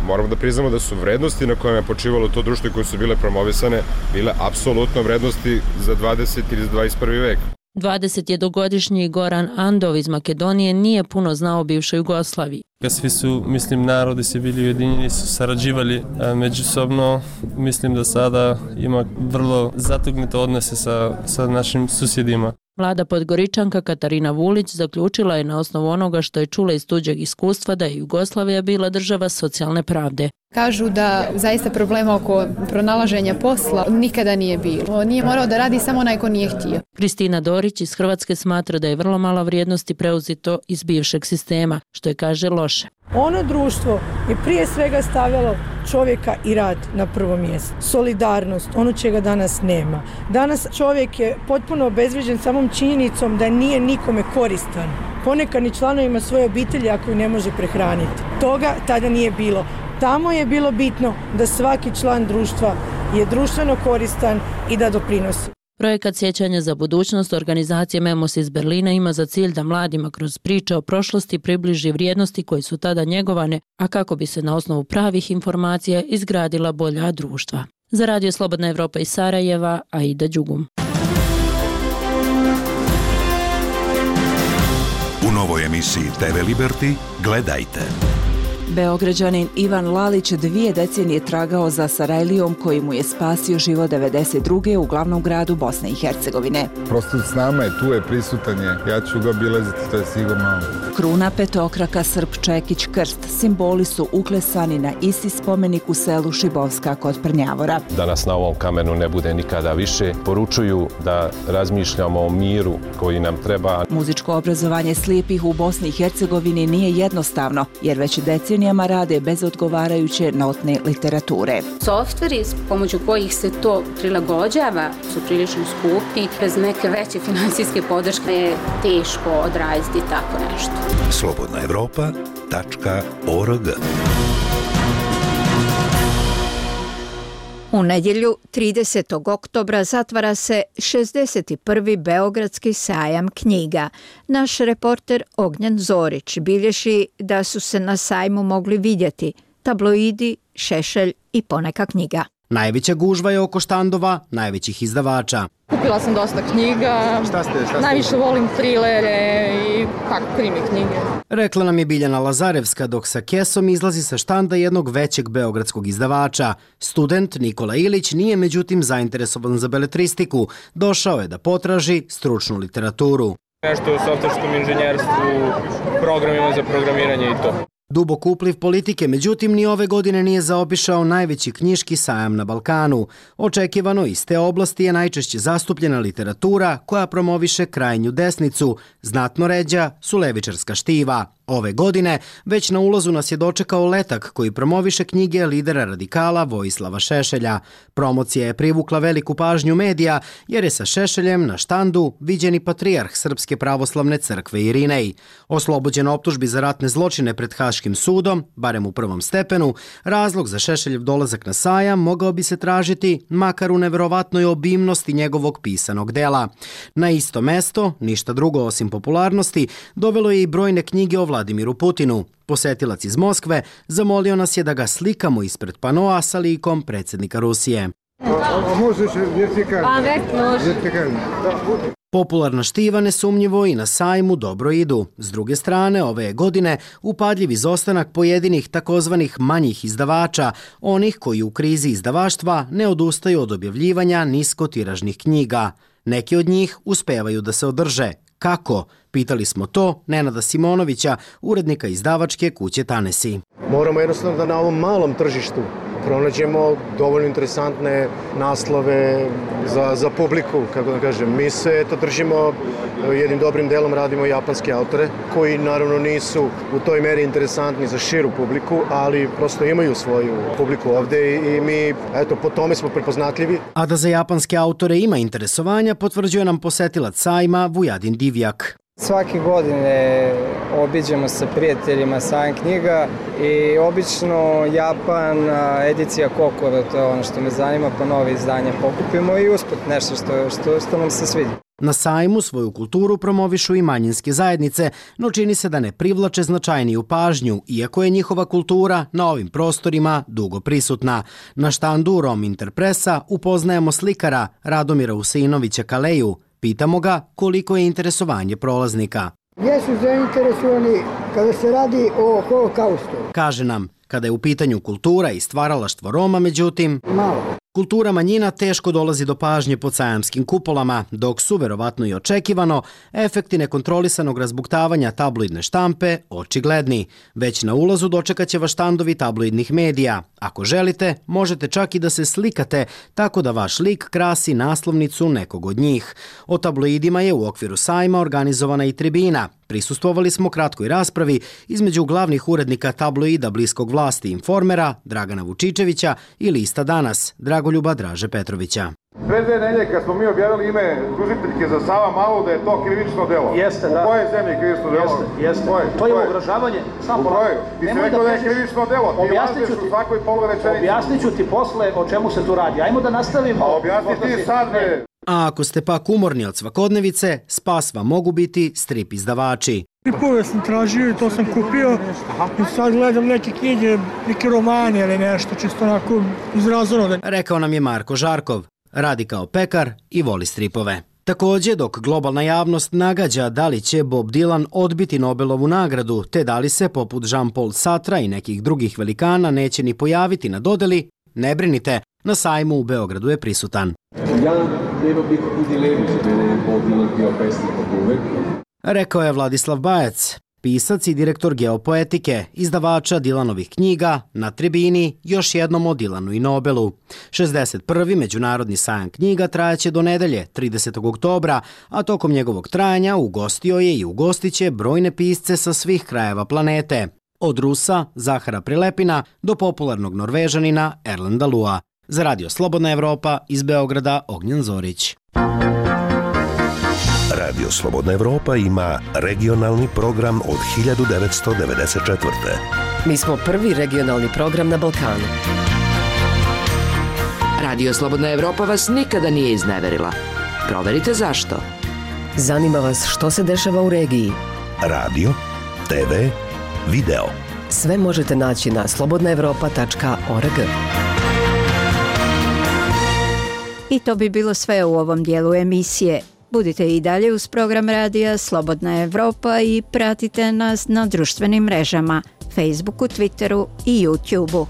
[SPEAKER 23] moramo da priznamo da su vrednosti na kojima je počivalo to društvo koje su bile promovisane bile apsolutno vrednosti za dvadeseti ili za dvadeset prvi vek.
[SPEAKER 13] dvadesetjednogodišnji Goran Andov iz Makedonije nije puno znao o bivšoj Jugoslaviji.
[SPEAKER 24] Svi su, mislim, narodi se bili ujedinjeni, su sarađivali međusobno. Mislim da sada ima vrlo zatugnute odnose sa, sa našim susjedima.
[SPEAKER 13] Mlada Podgoričanka Katarina Vulić zaključila je na osnovu onoga što je čula iz tuđeg iskustva da je Jugoslavija bila država socijalne pravde.
[SPEAKER 25] Kažu da zaista problema oko pronalaženja posla nikada nije bilo. Nije morao da radi samo onaj ko nije htio.
[SPEAKER 13] Kristina Dorić iz Hrvatske smatra da je vrlo mala vrijednosti preuzito iz bivšeg sistema, što je, kaže, loše.
[SPEAKER 26] Ono društvo je prije svega stavljalo čovjeka i rad na prvo mjesto. Solidarnost, ono čega danas nema. Danas čovjek je potpuno obezvrijeđen samom činjenicom da nije nikome koristan. Ponekad ni članovima svoje obitelji ako ih ne može prehraniti. Toga tada nije bilo. Tamo je bilo bitno da svaki član društva je društveno koristan i da doprinosi.
[SPEAKER 13] Projekat Sjećanja za budućnost organizacije Memos iz Berlina ima za cilj da mladima kroz priče o prošlosti približi vrijednosti koje su tada njegovane, a kako bi se na osnovu pravih informacija izgradila bolja društva. Za Radio Slobodna Evropa iz Sarajeva, Aida Đugum.
[SPEAKER 27] U novoj emisiji te ve Liberty gledajte.
[SPEAKER 28] Beograđanin Ivan Lalić dvije decenije tragao za Sarajlijom koji mu je spasio život devedeset druge u glavnom gradu Bosne i Hercegovine.
[SPEAKER 29] Prosto s nama je, tu je, prisutan je. Ja ću ga obilaziti, to je sigurno.
[SPEAKER 28] Kruna, petokraka, srp, čekić, krst, simboli su uklesani na isti spomenik u selu Šibovska kod Prnjavora.
[SPEAKER 30] Da nas na ovom kamenu ne bude nikada više, poručuju da razmišljamo o miru koji nam treba.
[SPEAKER 28] Muzičko obrazovanje slijepih u Bosni i Hercegovini nije jednostavno, jer već decenije rade bez odgovarajuće notne literature.
[SPEAKER 31] Softveri s pomoću kojih se to prilagođava su prilično skupi. Bez neke veće finansijske podrške je teško odraditi tako nešto.
[SPEAKER 27] slobodna evropa tačka org.
[SPEAKER 1] U nedjelju tridesetog oktobra zatvara se šezdeset prvi Beogradski sajam knjiga. Naš reporter Ognjen Zorić bilježi da su se na sajmu mogli vidjeti tabloidi, šešelj i poneka knjiga.
[SPEAKER 32] Najveća gužva je oko štandova najvećih izdavača.
[SPEAKER 33] Kupila sam dosta knjiga,
[SPEAKER 29] šta ste, šta ste?
[SPEAKER 33] Najviše volim trilere i kako krimi knjige.
[SPEAKER 32] Rekla nam je Biljana Lazarevska dok sa kesom izlazi sa štanda jednog većeg beogradskog izdavača. Student Nikola Ilić nije međutim zainteresovan za beletristiku. Došao je da potraži stručnu literaturu.
[SPEAKER 29] Nešto u softverskom inženjerstvu, programima za programiranje i to.
[SPEAKER 32] Dubok upliv politike, međutim, ni ove godine nije zaobišao najveći knjiški sajam na Balkanu. Očekivano iz te oblasti je najčešće zastupljena literatura koja promoviše krajnju desnicu, znatno ređa su levičarska štiva. Ove godine već na ulazu nas je dočekao letak koji promoviše knjige lidera radikala Vojislava Šešelja. Promocija je privukla veliku pažnju medija jer je sa Šešeljem na štandu viđeni patrijarh Srpske pravoslavne crkve Irinej. Oslobođen optužbi za ratne zločine pred Haškim sudom, barem u prvom stepenu, razlog za Šešeljev dolazak na sajam mogao bi se tražiti makar u neverovatnoj obimnosti njegovog pisanog dela. Na isto mesto, ništa drugo osim popularnosti, dovelo je i brojne knjige o Vladimiru Putinu. Posetilac iz Moskve zamolio nas je da ga slikamo ispred panoa sa likom predsjednika Rusije. Popularna štiva nesumnjivo i na sajmu dobro idu. S druge strane, ove godine upadljiv izostanak pojedinih takozvanih manjih izdavača, onih koji u krizi izdavaštva ne odustaju od objavljivanja niskotiražnih knjiga. Neki od njih uspevaju da se održe. Kako? Pitali smo to Nenada Simonovića, urednika izdavačke kuće Tanesi.
[SPEAKER 2] Moramo jednostavno da na ovom malom tržištu pronađemo dovoljno interesantne naslove za, za publiku, kako da kažem. Mi se eto držimo, jednim dobrim delom radimo japanske autore, koji naravno nisu u toj meri interesantni za širu publiku, ali prosto imaju svoju publiku ovde i mi, eto, po tome smo prepoznatljivi.
[SPEAKER 32] A da za japanske autore ima interesovanja, potvrđuje nam posetilac sajma Vujadin Divjak.
[SPEAKER 3] Svake godine obiđemo sa prijateljima sajam knjiga i obično Japan, edicija Kokoro, to je ono što me zanima, pa nove izdanje pokupimo i usput nešto što, što, što nam se sviđa.
[SPEAKER 32] Na sajmu svoju kulturu promovišu i manjinske zajednice, no čini se da ne privlače značajniju pažnju, iako je njihova kultura na ovim prostorima dugo prisutna. Na štandu Rom Interpresa upoznajemo slikara Radomira Usinovića Kaleju. Pitamo ga koliko je interesovanje prolaznika.
[SPEAKER 4] Jesu zainteresovani kada se radi o holokaustu.
[SPEAKER 32] Kaže nam, kada je u pitanju kultura i stvaralaštvo Roma, međutim,
[SPEAKER 4] malo.
[SPEAKER 32] Kultura manjina teško dolazi do pažnje pod sajamskim kupolama, dok su, verovatno i očekivano, efekti nekontrolisanog razbuktavanja tabloidne štampe očigledni. Već na ulazu dočekaće vas štandovi tabloidnih medija. Ako želite, možete čak i da se slikate, tako da vaš lik krasi naslovnicu nekog od njih. O tabloidima je u okviru sajma organizovana i tribina. Prisustvovali smo kratkoj raspravi između glavnih urednika tabloida bliskog vlasti Informera, Dragana Vučičevića i lista Danas, Dragoljuba Draže Petrovića.
[SPEAKER 5] Pre dve nelje kad smo mi objavili ime tužiteljke za Savamalu da je to krivično delo.
[SPEAKER 4] Jeste, da.
[SPEAKER 5] U kojoj zemlji krivično delo?
[SPEAKER 4] Jeste, jeste. Koje? To je ugrožavanje. Samo
[SPEAKER 5] u kojoj? Ti si rekao da je krivično delo. Ti lažeš u svakoj polurečenici.
[SPEAKER 4] Objasnit ću ti posle o čemu se tu radi. Ajmo da nastavimo.
[SPEAKER 5] A objasni ti sad, bre.
[SPEAKER 32] A ako ste pak umorni od svakodnevice, spas vam mogu biti strip izdavači.
[SPEAKER 4] Stripove sam tražio i to sam kupio i sad gledam neke knjige, neke romane ili nešto, čisto onako izrazano.
[SPEAKER 32] Rekao nam je Marko Žarkov, radi kao pekar i voli stripove. Također, dok globalna javnost nagađa da li će Bob Dylan odbiti Nobelovu nagradu, te da li se, poput Jean-Paul Sartra i nekih drugih velikana, neće ni pojaviti na dodeli, ne brinite, na sajmu u Beogradu je prisutan.
[SPEAKER 6] Ja nema biti u dilemi za mene je Bob Dylan bio pesnik od uvek.
[SPEAKER 32] Rekao je Vladislav Bajac, pisac i direktor Geopoetike, izdavača Dylanovih knjiga, na tribini još jednom o Dylanu i Nobelu. šezdeset prvi Međunarodni sajam knjiga trajaće do nedelje, tridesetog oktobra, a tokom njegovog trajanja ugostio je i ugostiće brojne pisce sa svih krajeva planete. Od Rusa, Zahara Prilepina, do popularnog Norvežanina Erlenda Lua. Za Radio Slobodna Evropa iz Beograda Ognjen Zorić.
[SPEAKER 7] Radio Slobodna Evropa ima regionalni program od hiljadu devetsto devedeset četvrte.
[SPEAKER 20] Mi smo prvi regionalni program na Balkanu.
[SPEAKER 11] Radio Slobodna Evropa vas nikada nije izneverila. Proverite zašto.
[SPEAKER 20] Zanima vas što se dešava u regiji.
[SPEAKER 7] Radio, te ve, video.
[SPEAKER 20] Sve možete naći na slobodna evropa tačka org.
[SPEAKER 1] I to bi bilo sve u ovom dijelu emisije. Budite i dalje uz program radija Slobodna Evropa i pratite nas na društvenim mrežama, Facebooku, Twitteru i YouTubeu.